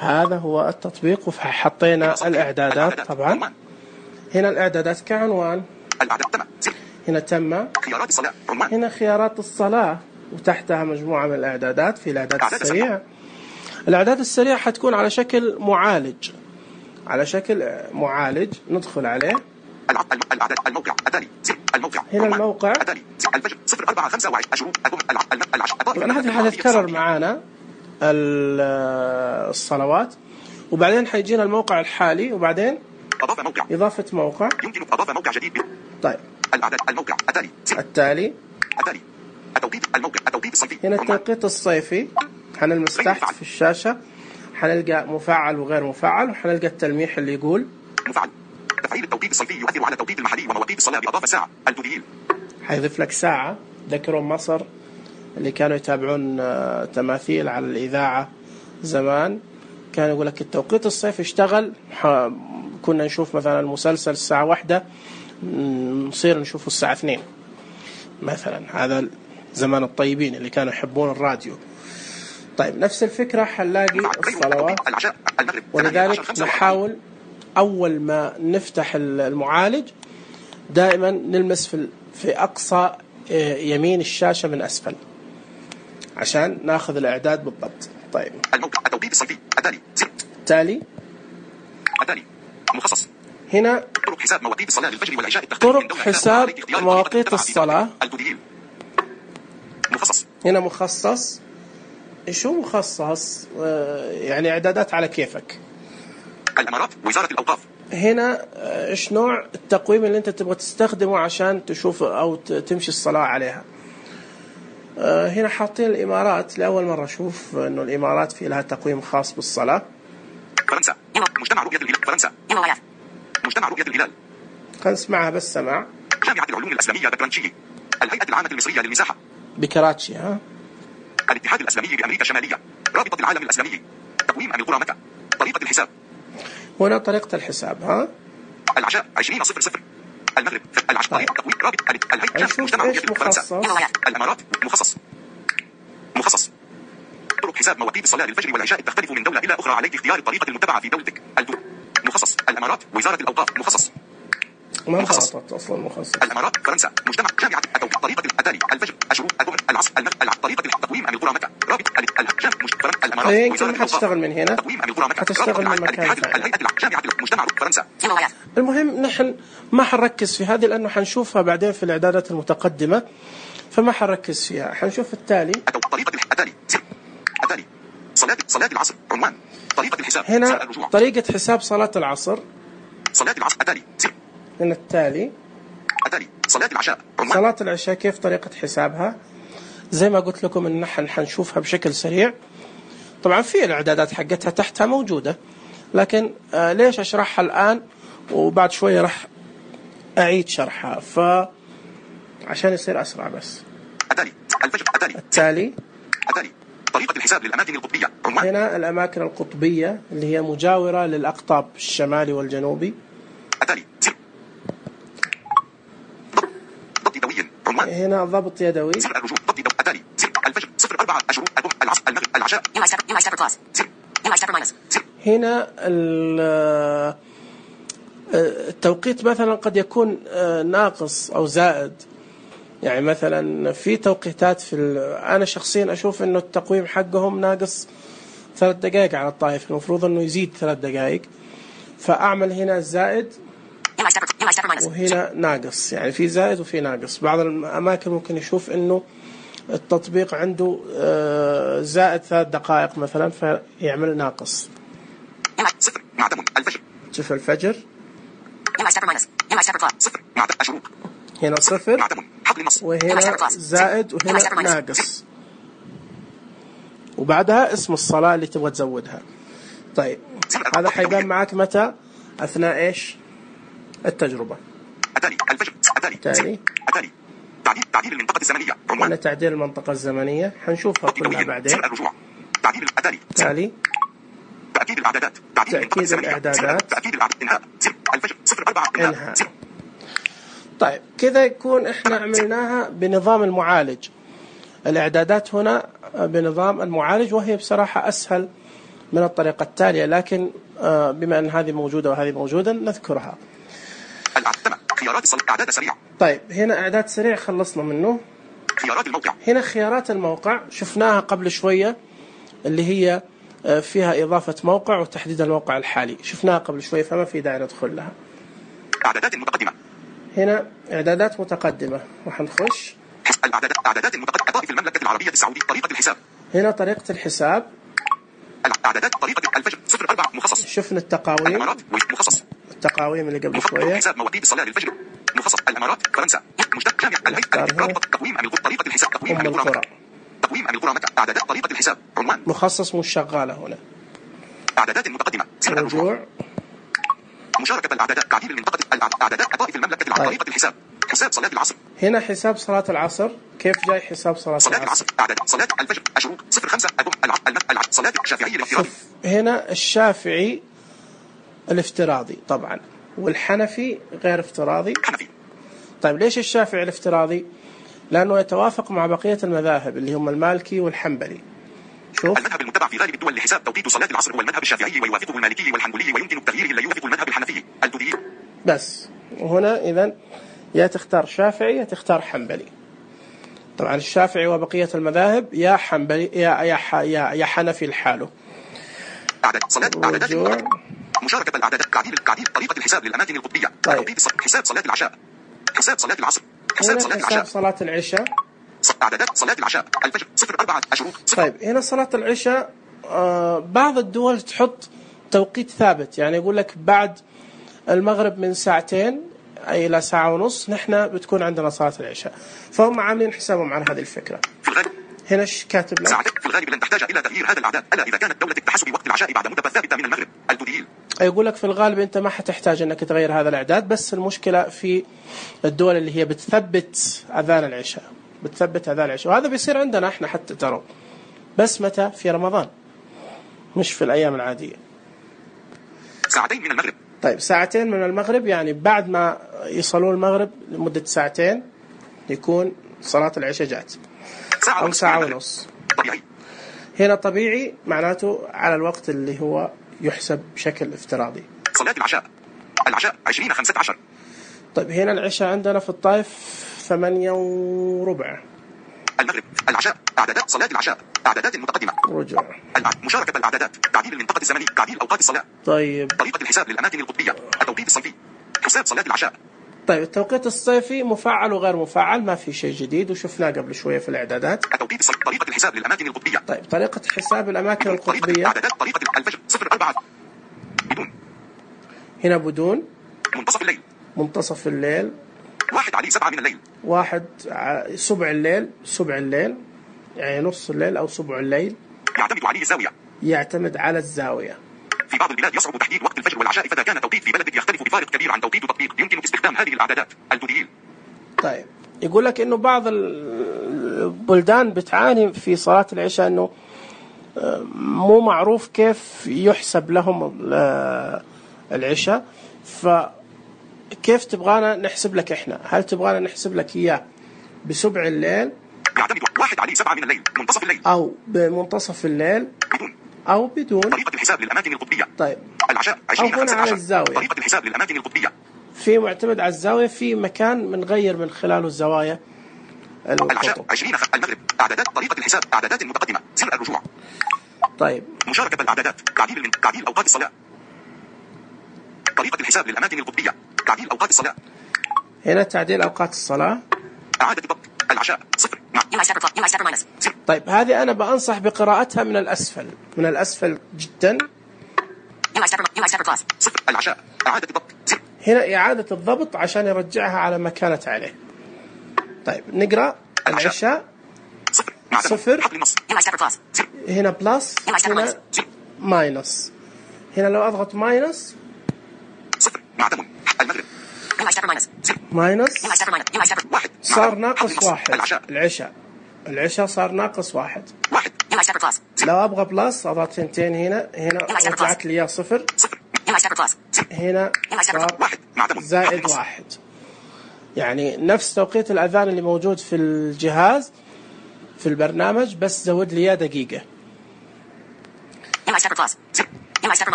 [SPEAKER 1] هذا هو التطبيق وحطينا الإعدادات. طبعا هنا الإعدادات كعنوان، هنا تم، هنا خيارات الصلاة، وتحتها مجموعة من الإعدادات. في الإعداد السريع، الإعداد السريع حتكون على شكل معالج، على شكل معالج ندخل عليه. الموقع هنا الموقع طبعا هذه حتتكرر معانا الصلوات، وبعدين حيجينا الموقع الحالي، وبعدين إضافة موقع. يمكن إضافة موقع جديد. طيب الموقع التالي هنا التوقيت الصيفي. حنلمس تحت في الشاشة حنلقى مفعل وغير مفعل، وحنلقى التلميح اللي يقول مفعل. تفعيل التوقيت الصيفي يؤثر على التوقيت المحلي ومواقيت الصلاة بإضافة ساعة. التدليل حيضيف لك ساعة. ذكروا مصر اللي كانوا يتابعون تماثيل على الإذاعة زمان، كان يقول لك التوقيت الصيفي اشتغل، كنا نشوف مثلا المسلسل الساعة 1 نصير نشوفه الساعة 2 مثلا. هذا زمان الطيبين اللي كانوا يحبون الراديو. طيب نفس الفكرة حنلاقي الصلوات، ولذلك نحاول أول ما نفتح المعالج دائما نلمس في أقصى يمين الشاشة من أسفل عشان ناخذ الإعداد بالضبط. طيب الموقع التوقيت الصيفي التالي مخصص. هنا طرق حساب مواقيت الصلاة للفجر والعشاء. طرق حساب مواقيت الصلاة مخصص. هنا مخصص. شو مخصص؟ يعني إعدادات على كيفك. الإمارات وزارة الأوقاف. هنا إيش نوع التقويم اللي أنت تبغى تستخدمه عشان تشوف أو تمشي الصلاة عليها. هنا حاطين الإمارات. لأول مرة أشوف إنه الإمارات في لها تقويم خاص بالصلاة. فرنسا مجتمع رؤية الهلال. فرنسا مجتمع رؤية الهلال. خلينا نسمعها بس سماع. جامعة العلوم الإسلامية بكراتشي. الهيئة العامة المصرية للمساحة بكراتشي. الاتحاد الإسلامي بأمريكا الشمالية. رابطة العالم الإسلامي. تقويم أمير قرى مكة. طريقة الحساب. هنا طريقة الحساب. العشاء 20:00. المغرب العشاء. طريقة تقويم رابط الهيئة مجتمع رؤية فرنسا. الإمارات مخصص. طرق حساب مواقيت الصلاة للفجر والعشاء تختلف من دولة إلى أخرى، عليك اختيار الطريقة المتبعة في دولتك. مخصص. الإمارات وزارة الأوقاف. مخصص. أصلا مخصص. الإمارات فرنسا مجتمع جامعة طريقة الأتالي الفجر الشروق الظهر العصر طريقة تقويم أمير قرى مكة. رابط الإمارات يمكن حتشتغل من هنا، حتشتغل من مكان ثاني. جامعة مجتمع فرنسا. المهم نحن ما حنركز في هذه لأنه حنشوفها بعدين في الإعدادات المتقدمة، فما حنركز فيها. حنشوف التالي. طريقة الأتالي صلاة العصر. عنوان طريقة الحساب. هنا طريقة حساب صلاة العصر. صلاة العصر أتالي. هنا التالي صلاة العشاء. صلاة العشاء كيف طريقة حسابها؟ زي ما قلت لكم إن نحن حنشوفها بشكل سريع. طبعا في الإعدادات حقتها تحتها موجودة، لكن ليش أشرحها الآن وبعد شوية راح أعيد شرحها عشان يصير أسرع. بس التالي طريقة الحساب للأماكن القطبية. هنا الأماكن القطبية اللي هي مجاورة للأقطاب الشمالي والجنوبي. ضبط يدوي. هنا ضبط يدوي. الفجر 04 الشروق العصر المغرب العشاء. هنا التوقيت مثلا قد يكون ناقص أو زائد. يعني مثلا في توقيتات أنا شخصيا أشوف إنه التقويم حقهم ناقص 3 دقائق على الطائف، المفروض إنه يزيد 3 دقائق، فأعمل هنا زائد وهنا ناقص. يعني في زائد وفي ناقص. بعض الأماكن ممكن يشوف إنه التطبيق عنده زائد 3 دقائق مثلا فيعمل ناقص. شوف الفجر هنا 0 وهنا زائد وهنا ناقص، وبعدها اسم الصلاة اللي تبغى تزودها. طيب هذا حيبان معك متى؟ أثناء إيش؟ التجربة. تعديل المنطقة الزمنية. هنا تعديل المنطقة الزمنية حنشوفها كلها بعدين.
[SPEAKER 2] تعديل التالي.
[SPEAKER 1] تالي.
[SPEAKER 2] تأكيد الإعدادات.
[SPEAKER 1] تأكيد الإعدادات.
[SPEAKER 2] تأكيد الإعدادات. إنهاء. الفجر 04
[SPEAKER 1] إنهاء. طيب كذا يكون إحنا عملناها بنظام المعالج. الإعدادات هنا بنظام المعالج، وهي بصراحة أسهل من الطريقة التالية، لكن بما أن هذه موجودة وهذه موجودة نذكرها.
[SPEAKER 2] خيارات الصلاة. إعداد سريع.
[SPEAKER 1] طيب هنا إعداد سريع خلصنا منه.
[SPEAKER 2] خيارات الموقع.
[SPEAKER 1] هنا خيارات الموقع شفناها قبل شوية، اللي هي فيها إضافة موقع وتحديد الموقع الحالي، شفناها قبل شوية فما في داعي ندخل لها.
[SPEAKER 2] إعدادات متقدمة.
[SPEAKER 1] هنا إعدادات متقدمة راح نخش.
[SPEAKER 2] إعدادات المتقدمة في المملكة العربية السعودية. طريقة الحساب.
[SPEAKER 1] هنا طريقة الحساب.
[SPEAKER 2] الإعدادات طريقة الفجر 04 مخصص.
[SPEAKER 1] شفنا التقاويم.
[SPEAKER 2] الإمارات مخصص.
[SPEAKER 1] التقاويم اللي قبل شوية.
[SPEAKER 2] حساب مواقيت الصلاة للفجر مخصص. الإمارات فرنسا مشتق جامع الهيئة رابطة تقويم طريقة الحساب. تقويم القرى. تقويم القرى مكة. إعدادات طريقة الحساب. عنوان
[SPEAKER 1] مخصص مش شغالة هنا.
[SPEAKER 2] إعدادات متقدمة.
[SPEAKER 1] رجوع.
[SPEAKER 2] مشاركة الإعدادات. تعديل المنطقة. الإعدادات طائف المملكة العربية. طريقة الحساب. حساب صلاة العصر.
[SPEAKER 1] هنا حساب صلاة العصر. كيف جاي حساب صلاة العصر؟
[SPEAKER 2] إعدادات صلاة الفجر. الشروق 05 صلاة الشافعي الافتراضي.
[SPEAKER 1] هنا الشافعي الافتراضي طبعا، والحنفي غير افتراضي.
[SPEAKER 2] حنفي.
[SPEAKER 1] طيب ليش الشافعي الافتراضي؟ لأنه يتوافق مع بقية المذاهب اللي هم المالكي والحنبلي. شوف
[SPEAKER 2] المذهب المتبع في غالب الدول لحساب توقيت صلاة العصر هو المذهب الشافعي، ويوافقه المالكي والحنبلي، ويمكن التغيير إلا يوافق المذهب الحنفي الدودي.
[SPEAKER 1] بس وهنا إذن يا تختار شافعي يا تختار حنبلي. طبعا الشافعي وبقية المذاهب يا حنبلي يا حنفي لحاله.
[SPEAKER 2] إعدادات مشاركة الإعدادات. تعديل طريقة الحساب للأماكن القطبية.
[SPEAKER 1] طيب.
[SPEAKER 2] حساب صلاة العشاء. حساب صلاة العصر.
[SPEAKER 1] حساب صلاة العشاء.
[SPEAKER 2] إعدادات صلاة العشاء. الفجر 04 الشروق.
[SPEAKER 1] طيب هنا صلاة العشاء بعض الدول تحط توقيت ثابت، يعني يقول لك بعد المغرب من ساعتين أي إلى ساعة ونص نحن بتكون عندنا صلاة العشاء، فهم عاملين حسابهم على هذه الفكرة.
[SPEAKER 2] في الغالب
[SPEAKER 1] هنا ايش كاتب لك؟
[SPEAKER 2] في الغالب لن تحتاج إلى تغيير هذا الأعداد إلا إذا كانت دولة تحسب وقت العشاء بعد مدة ثابتة من المغرب الدودي.
[SPEAKER 1] يقول لك في الغالب أنت ما حتحتاج أنك تغير هذا الإعداد، بس المشكلة في الدول اللي هي بتثبت أذان العشاء، وهذا بيصير عندنا احنا حتى ترى، بس متى؟ في رمضان، مش في الأيام العادية.
[SPEAKER 2] ساعتين من المغرب.
[SPEAKER 1] طيب ساعتين من المغرب، يعني بعد ما يصلون المغرب لمدة ساعتين يكون صلاة العشاء جات، أو ساعة ونص.
[SPEAKER 2] طبيعي.
[SPEAKER 1] هنا طبيعي معناته على الوقت اللي هو يحسب بشكل افتراضي.
[SPEAKER 2] صلاة العشاء 20:15.
[SPEAKER 1] طيب هنا العشاء عندنا في الطائف 8:15.
[SPEAKER 2] المغرب. العشاء. إعدادات صلاة العشاء. إعدادات متقدمة.
[SPEAKER 1] رجوع.
[SPEAKER 2] مشاركة الإعدادات. تعديل المنطقة الزمني. تعديل أوقات الصلاة.
[SPEAKER 1] طيب
[SPEAKER 2] طريقة الحساب للأماكن القطبية. التوقيت الصيفي. حساب صلاة العشاء.
[SPEAKER 1] طيب التوقيت الصيفي مفعل وغير مفعل، ما في شيء جديد وشفناه قبل شوية في الإعدادات.
[SPEAKER 2] التوقيت الصيفي. طريقة الحساب للأماكن القطبية.
[SPEAKER 1] طيب طريقة حساب الأماكن القطبية.
[SPEAKER 2] طريقة الفجر 04 بدون.
[SPEAKER 1] هنا بدون.
[SPEAKER 2] منتصف الليل. 1:07 من الليل.
[SPEAKER 1] 1 سبع الليل يعني نص الليل أو سبع الليل. يعتمد على الزاوية.
[SPEAKER 2] في بعض البلاد يصعب تحديد وقت الفجر والعشاء، فإذا كان توقيت في بلدك يختلف بفارق كبير عن توقيت تطبيق يمكن استخدام هذه الإعدادات الدودية.
[SPEAKER 1] طيب يقول لك إنه بعض البلدان بتعاني في صلاة العشاء إنه مو معروف كيف يحسب لهم العشاء، فكيف تبغانا نحسب لك إحنا؟ هل تبغانا نحسب لك إياه بسبع الليل؟
[SPEAKER 2] يعتمد 1:07 من الليل منتصف الليل،
[SPEAKER 1] أو بمنتصف الليل
[SPEAKER 2] بدون،
[SPEAKER 1] أو بدون.
[SPEAKER 2] طريقة الحساب للأماكن القطبية.
[SPEAKER 1] طيب
[SPEAKER 2] العشاء
[SPEAKER 1] أو هنا على الزاوية.
[SPEAKER 2] طريقة الحساب للأماكن القطبية.
[SPEAKER 1] في معتمد على الزاوية، في مكان بنغير من خلاله الزوايا.
[SPEAKER 2] العشاء 20 المغرب. إعدادات طريقة الحساب. إعدادات متقدمة. سر الرجوع.
[SPEAKER 1] طيب
[SPEAKER 2] مشاركة الإعدادات. تعديل أوقات الصلاة. طريقة الحساب للأماكن القطبية. تعديل أوقات الصلاة.
[SPEAKER 1] هنا تعديل أوقات الصلاة.
[SPEAKER 2] إعادة ضبط العشاء 0.
[SPEAKER 1] طيب هذه أنا بأنصح بقراءتها من الأسفل جدا.
[SPEAKER 2] 0. العشاء. إعادة ضبط 0.
[SPEAKER 1] هنا إعادة الضبط عشان يرجعها على ما كانت عليه. طيب نقرأ العشاء 0. هنا بلس، هنا ماينس. هنا لو أضغط ماينس
[SPEAKER 2] 0. معتم المغرب.
[SPEAKER 1] ماينس
[SPEAKER 2] 1
[SPEAKER 1] صار ناقص 1. العشاء صار ناقص 1. لو أبغى بلس أضغط ثنتين هنا رجعت لي إياه صفر. هنا زائد 1. يعني نفس توقيت الأذان اللي موجود في الجهاز في البرنامج، بس زود لي إياه دقيقة.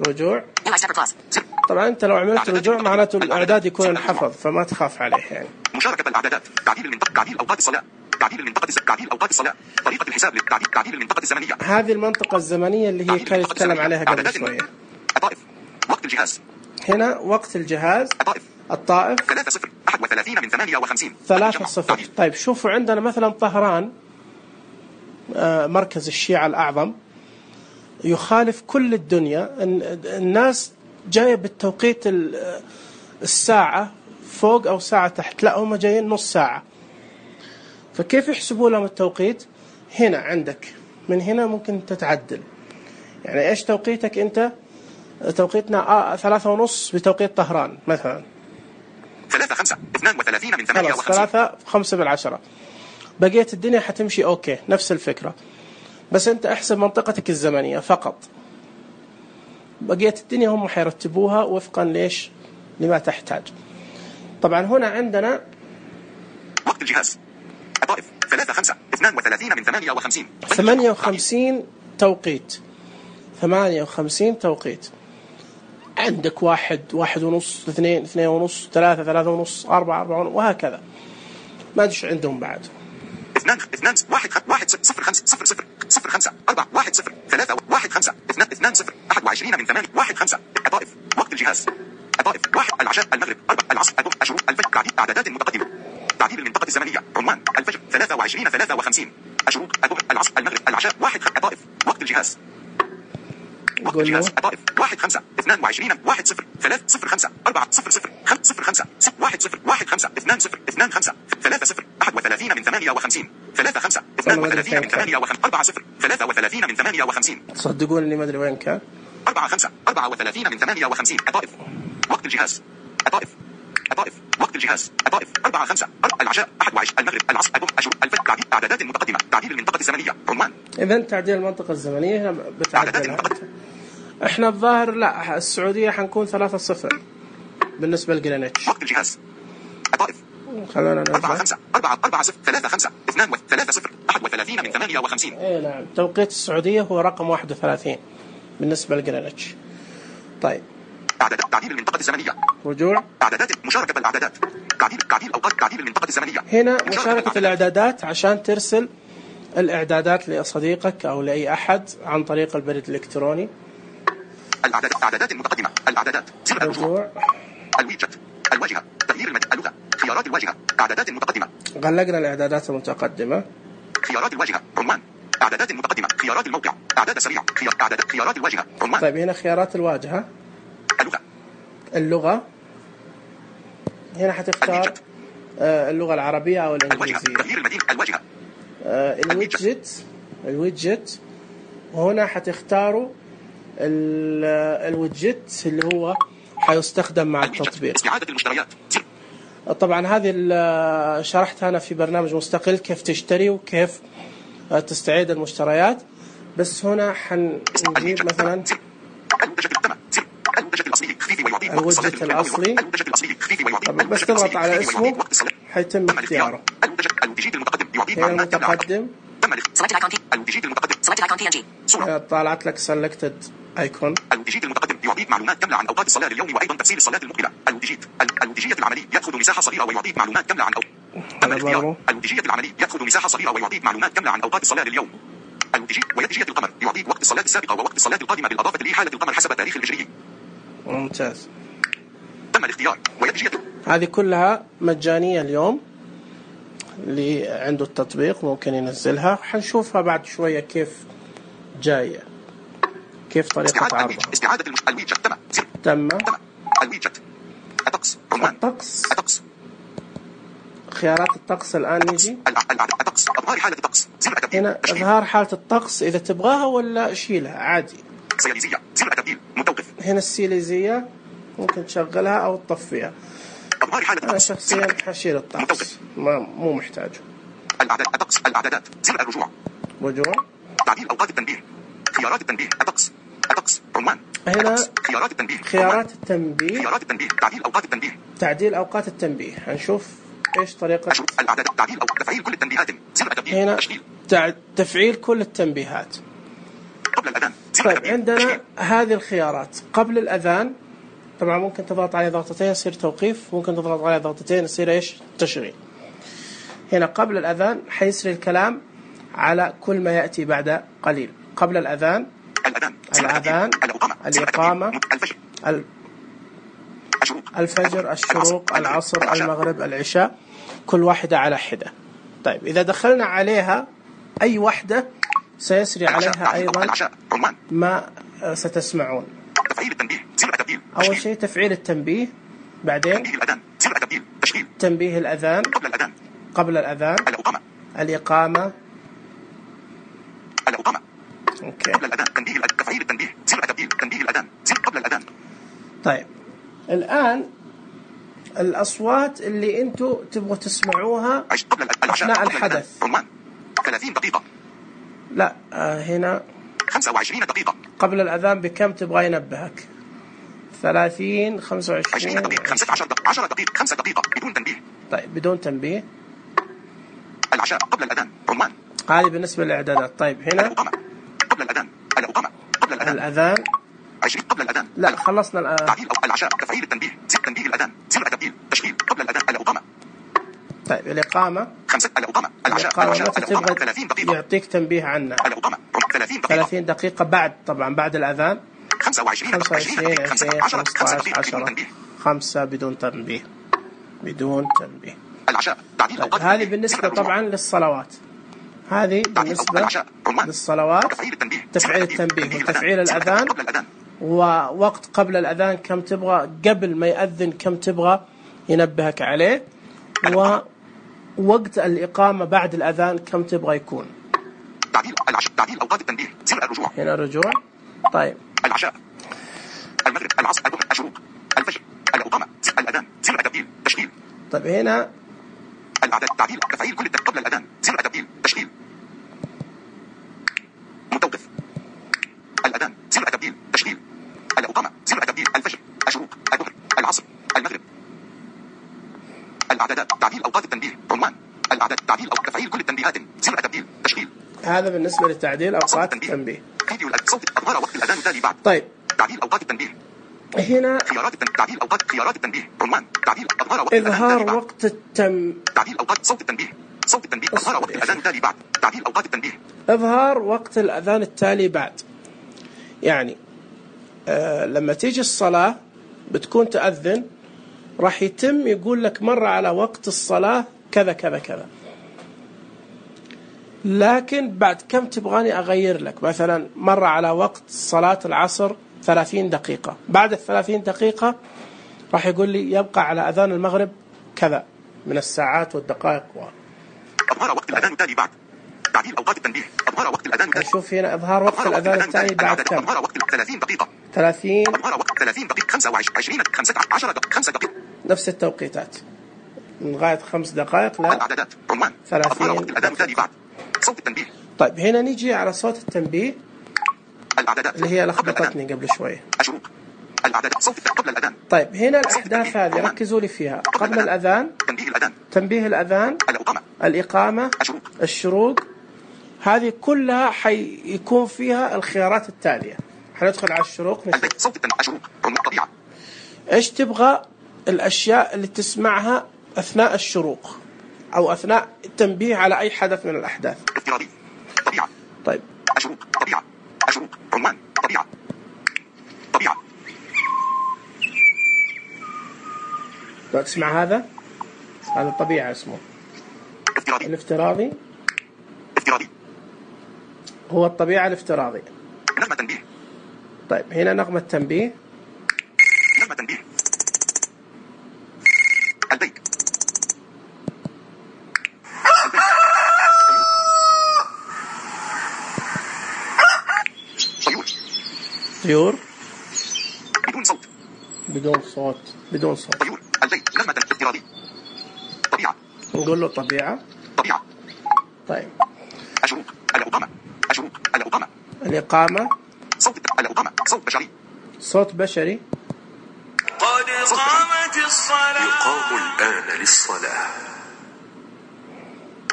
[SPEAKER 1] رجوع. طبعا أنت لو عملت رجوع معناته الإعداد يكون انحفظ، فما تخاف عليه يعني.
[SPEAKER 2] مشاركة الإعدادات، تعديل المنطقة، تعديل أوقات الصلاة، تعديل المنطقة، تعديل أوقات الصلاة، طريقة الحساب، تعديل المنطقة الزمنية.
[SPEAKER 1] هذه المنطقة الزمنية اللي هي كان يتكلم عليها قبل شوية.
[SPEAKER 2] الطائف. وقت الجهاز.
[SPEAKER 1] هنا وقت الجهاز. الطائف
[SPEAKER 2] 3-0 31 من 58.
[SPEAKER 1] 3-0. طيب شوفوا عندنا مثلا طهران مركز الشيعة الأعظم يخالف كل الدنيا. الناس جاية بالتوقيت الساعة فوق أو ساعة تحت، لا هم جايين نص ساعة. فكيف يحسبوا لهم التوقيت؟ هنا عندك من هنا ممكن تتعدل. يعني إيش توقيتك أنت؟ توقيتنا 3:30 بتوقيت طهران مثلا.
[SPEAKER 2] 3-5 32 من 58.
[SPEAKER 1] 3:05 بقيت الدنيا حتمشي أوكي، نفس الفكرة، بس أنت احسب منطقتك الزمنية فقط. بقيت الدنيا هم حيرتبوها وفقا ليش لما تحتاج. طبعا هنا عندنا
[SPEAKER 2] وقت الجهاز. الطائف 3-5 32 من 58.
[SPEAKER 1] 58 توقيت. 58 توقيت. عندك 1 1:30 2 2:30 3 3:30 4 4 وهكذا. ما أدري عندهم بعد.
[SPEAKER 2] 2 1 1 0 5 0 0 0 5 4 1 0 3 1 5 2 0 21 من 8 1 5. الطائف. وقت الجهاز. الطائف 1 العشاء المغرب 4 العصر الشروق الفجر. تعديل أعدادات متقدمة. تعديل المنطقة الزمنية. عنوان الفجر 23 53. الشروق العصر المغرب العشاء 1 الطائف. وقت الجهاز. وقت الجهاز. الطائف 1 5 22 1 0 3 0 5 4 0 0 5 0 5 1 0 1 5 2 0 2 5 3 0 31 من 58. 3 5 32 من 58 4 0 33 من 58.
[SPEAKER 1] تصدقون اني ما ادري وين كان.
[SPEAKER 2] 4 5 34 من 58. الطائف. وقت الجهاز. الطائف. الطائف. وقت الجهاز. الطائف 4 5 العشاء 21 المغرب العصر الشروق الفجر. تعديل أعدادات متقدمة. تعديل المنطقة الزمنية. عنوان.
[SPEAKER 1] إذا تعديل المنطقة الزمنية هنا بتعدلها. احنا الظاهر لا، السعودية حنكون 3-0 بالنسبة لجرينتش.
[SPEAKER 2] وقت الجهاز. الطائف.
[SPEAKER 1] خلونا نرجع.
[SPEAKER 2] 4 5 4 0 3 5 2 3 0 31 من 58.
[SPEAKER 1] ايه نعم، توقيت السعودية هو رقم 31 بالنسبة لجرينتش. طيب.
[SPEAKER 2] تعديل المنطقة الزمنية.
[SPEAKER 1] رجوع.
[SPEAKER 2] اعدادات مشاركة الاعدادات. تعديل اوقات. تعديل المنطقة الزمنية.
[SPEAKER 1] هنا مشاركة الاعدادات عشان ترسل الاعدادات لصديقك او لاي احد عن طريق البريد الالكتروني.
[SPEAKER 2] اعدادات متقدمة. الاعدادات.
[SPEAKER 1] رجوع.
[SPEAKER 2] الويجت. الواجهة. تغيير اللغة. خيارات الواجهة. اعدادات متقدمة.
[SPEAKER 1] غلقنا الاعدادات المتقدمة.
[SPEAKER 2] خيارات الواجهة. عنوان. اعدادات متقدمة. خيارات الموقع. اعداد سريع. خيارات الواجهة. عنوان.
[SPEAKER 1] طيب هنا خيارات الواجهة. اللغة. هنا حتختار اللغة العربية أو الإنجليزية.
[SPEAKER 2] تغيير المدينة. الواجهة.
[SPEAKER 1] الويدجت. وهنا حتختاروا الويدجت اللي هو حيستخدم مع التطبيق.
[SPEAKER 2] استعادة المشتريات.
[SPEAKER 1] طبعا هذه شرحتها أنا في برنامج مستقل كيف تشتري وكيف تستعيد المشتريات، بس هنا حنجيب مثلا الويدجت الأصلي. طبعا بس تضغط على اسمه حيتم اختياره. هنا المتقدم. طالعت لك selected icon.
[SPEAKER 2] الويدجت المتقدم يعطيك معلومات كاملة عن أوقات الصلاة لليوم وأيضا تفصيل الصلاة المقبلة. الويدجت العملي يأخذ مساحة صغيرة ويعطيك معلومات كاملة عن الويدجت العملي يأخذ مساحة صغيرة ويعطيك معلومات كاملة عن أوقات الصلاة لليوم. ويدجية القمر يعطيك وقت الصلاة السابقة ووقت الصلاة القادمة بالإضافة لحالة القمر حسب التاريخ الهجري.
[SPEAKER 1] ممتاز.
[SPEAKER 2] تم الاختيار. ويدجية.
[SPEAKER 1] هذه كلها مجانية اليوم، اللي عنده التطبيق ممكن ينزلها. حنشوفها بعد شوية كيف جاية، كيف طريقة عرضها.
[SPEAKER 2] استعادة الويدجت.
[SPEAKER 1] تم.
[SPEAKER 2] الويدجت. الطقس. عنوان. الطقس.
[SPEAKER 1] خيارات الطقس الآن نجي.
[SPEAKER 2] الطقس. إظهار حالة الطقس.
[SPEAKER 1] هنا إظهار حالة الطقس إذا تبغاها ولا شيلها عادي.
[SPEAKER 2] سياليزية. زر التبديل. متوقف.
[SPEAKER 1] هنا السياليزية ممكن تشغلها أو تطفيها.
[SPEAKER 2] إظهار حالة الطقس.
[SPEAKER 1] أنا شخصيا حشيل الطقس، مو محتاجه.
[SPEAKER 2] الأعداد الطقس الأعدادات زر الرجوع
[SPEAKER 1] رجوع
[SPEAKER 2] تعديل أوقات التنبيه خيارات التنبيه الطقس عنوان
[SPEAKER 1] هنا
[SPEAKER 2] خيارات التنبيه
[SPEAKER 1] خيارات التنبيه
[SPEAKER 2] خيارات التنبيه تعديل أوقات التنبيه
[SPEAKER 1] تعديل أوقات التنبيه. هنشوف إيش طريقة
[SPEAKER 2] الأعداد تعديل أو تفعيل كل التنبيهات زر التنبيه
[SPEAKER 1] هنا
[SPEAKER 2] تشغيل
[SPEAKER 1] تفعيل كل التنبيهات.
[SPEAKER 2] قبل الأذان
[SPEAKER 1] طيب عندنا هذه الخيارات قبل الأذان، طبعا ممكن تضغط عليه ضغطتين يصير توقيف، ممكن تضغط عليه ضغطتين يصير إيش تشغيل. هنا قبل الأذان حيسري الكلام على كل ما يأتي بعد قليل. قبل الأذان الأذان الإقامة الفجر الشروق العصر المغرب العشاء، كل واحدة على حدة. طيب إذا دخلنا عليها أي واحدة سيسري عليها أيضا ما ستسمعون. أول شيء تفعيل التنبيه، بعدين تنبيه الأذان قبل الأذان الإقامة أوكي.
[SPEAKER 2] قبل الأذان تفعيل التنبيه تنبيه الأذان قبل الأذان.
[SPEAKER 1] طيب الآن الأصوات اللي أنتوا تبغوا تسمعوها أثناء الحدث
[SPEAKER 2] 30 دقيقة
[SPEAKER 1] لا هنا
[SPEAKER 2] 25 دقيقة
[SPEAKER 1] قبل الأذان بكم تبغى ينبهك؟ 30 25
[SPEAKER 2] دقيقة 15 دقيقة 10 دقيقة 5 دقيقة بدون تنبيه.
[SPEAKER 1] طيب بدون تنبيه.
[SPEAKER 2] العشاء قبل الأذان عنوان
[SPEAKER 1] هذه بالنسبة للإعدادات. طيب هنا
[SPEAKER 2] قبل الأذان قبل
[SPEAKER 1] الأذان
[SPEAKER 2] 20 قبل الأذان
[SPEAKER 1] لا خلصنا
[SPEAKER 2] تعديل العشاء تفعيل التنبيه تنبيه الأذان تبديل تشغيل قبل الأذان الإقامة.
[SPEAKER 1] طيب الإقامة
[SPEAKER 2] 5 الإقامة العشاء
[SPEAKER 1] متى تبغى يعطيك تنبيه عنها؟
[SPEAKER 2] الإقامة
[SPEAKER 1] 30 دقيقة بعد طبعا بعد الأذان
[SPEAKER 2] 25
[SPEAKER 1] 20 15 10 5 بدون تنبيه
[SPEAKER 2] العشاء تعديل
[SPEAKER 1] طيب هذه بالنسبة طبعا للصلوات، هذه بالنسبة للصلوات تفعيل التنبيه وتفعيل الأذان ووقت قبل الأذان كم تبغى، قبل ما يأذن كم تبغى ينبهك عليه، ووقت الإقامة بعد الأذان كم تبغى يكون.
[SPEAKER 2] تعديل أوقات التنبيه زر الرجوع
[SPEAKER 1] هنا رجوع. طيب
[SPEAKER 2] العشاء المغرب العصر الشروق الفجر الإقامة الأذان زر تبديل تشغيل.
[SPEAKER 1] طيب هنا
[SPEAKER 2] الأعداد تعديل تفعيل كل قبل الأذان زر تبديل تشغيل متوقف الأذان زر تبديل تشغيل الإقامة زر تبديل الفجر الشروق الظهر العصر المغرب. الأعداد تعديل أوقات التنبيه عنوان الأعداد تعديل أو تفعيل كل التنبيهات زر تبديل تشغيل.
[SPEAKER 1] هذا بالنسبة لتعديل أوقات التنبيه.
[SPEAKER 2] صوت أظهر وقت الأذان التالي بعد.
[SPEAKER 1] طيب
[SPEAKER 2] تعديل أوقات التنبيه
[SPEAKER 1] هنا
[SPEAKER 2] تعديل أوقات خيارات التنبيه عنوان تعديل أظهر وقت
[SPEAKER 1] إظهار وقت
[SPEAKER 2] تعديل أوقات صوت التنبيه أظهر وقت الأذان التالي بعد. تعديل أوقات التنبيه
[SPEAKER 1] إظهار وقت الأذان التالي بعد، يعني لما تيجي الصلاة بتكون تأذن راح يتم يقول لك مرة على وقت الصلاة كذا كذا كذا، لكن بعد كم تبغاني أغير لك، مثلا مرة على وقت صلاة العصر 30 دقيقة، بعد 30 دقيقة راح يقول لي يبقى على أذان المغرب كذا من الساعات والدقائق
[SPEAKER 2] أظهر وقت الأذان التالي بعد. تعديل أوقات التنبيه أظهر وقت الأذان التالي.
[SPEAKER 1] نشوف هنا إظهار وقت الأذان التالي بعد كم.
[SPEAKER 2] أظهر وقت 30 دقيقة
[SPEAKER 1] 30
[SPEAKER 2] أظهر وقت 30 دقيقة 25 15 دقيقة 5 دقائق
[SPEAKER 1] نفس التوقيتات من لغاية 5 دقائق لا
[SPEAKER 2] الأعدادات عنوان
[SPEAKER 1] 30
[SPEAKER 2] وقت الأذان التالي بعد. صوت التنبيه.
[SPEAKER 1] طيب هنا نيجي على صوت التنبيه
[SPEAKER 2] الأعدادات
[SPEAKER 1] اللي هي لخبطتني قبل شوي.
[SPEAKER 2] الشروق الأعدادات صوت قبل الأذان.
[SPEAKER 1] طيب هنا الأحداث هذه ركزوا لي فيها. قبل الأذان تنبيه الأذان الإقامة الشروق، هذه كلها حيكون فيها الخيارات التالية. حندخل على الشروق نشوف
[SPEAKER 2] صوت الشروق الطبيعة
[SPEAKER 1] إيش تبغى الأشياء اللي تسمعها أثناء الشروق أو أثناء التنبيه على أي حدث من الأحداث.
[SPEAKER 2] افتراضي طبيعة.
[SPEAKER 1] طيب
[SPEAKER 2] الشروق طبيعة الشروق عنوان طبيعة
[SPEAKER 1] لو تسمع هذا الطبيعة اسمه الافتراضي هو الطبيعة الافتراضي.
[SPEAKER 2] نغمة تنبيه.
[SPEAKER 1] طيب هنا نغمة تنبيه
[SPEAKER 2] البيت
[SPEAKER 1] طيور بدون صوت
[SPEAKER 2] طيور البيت نغمة افتراضي طبيعة
[SPEAKER 1] نقول له طبيعة طيب
[SPEAKER 2] الشروط. الإقامة. الشروط. الإقامة.
[SPEAKER 1] الإقامة.
[SPEAKER 2] صوت الإقامة. صوت بشري.
[SPEAKER 1] صوت بشري.
[SPEAKER 3] قد قامت الصلاة. يقام الآن للصلاة.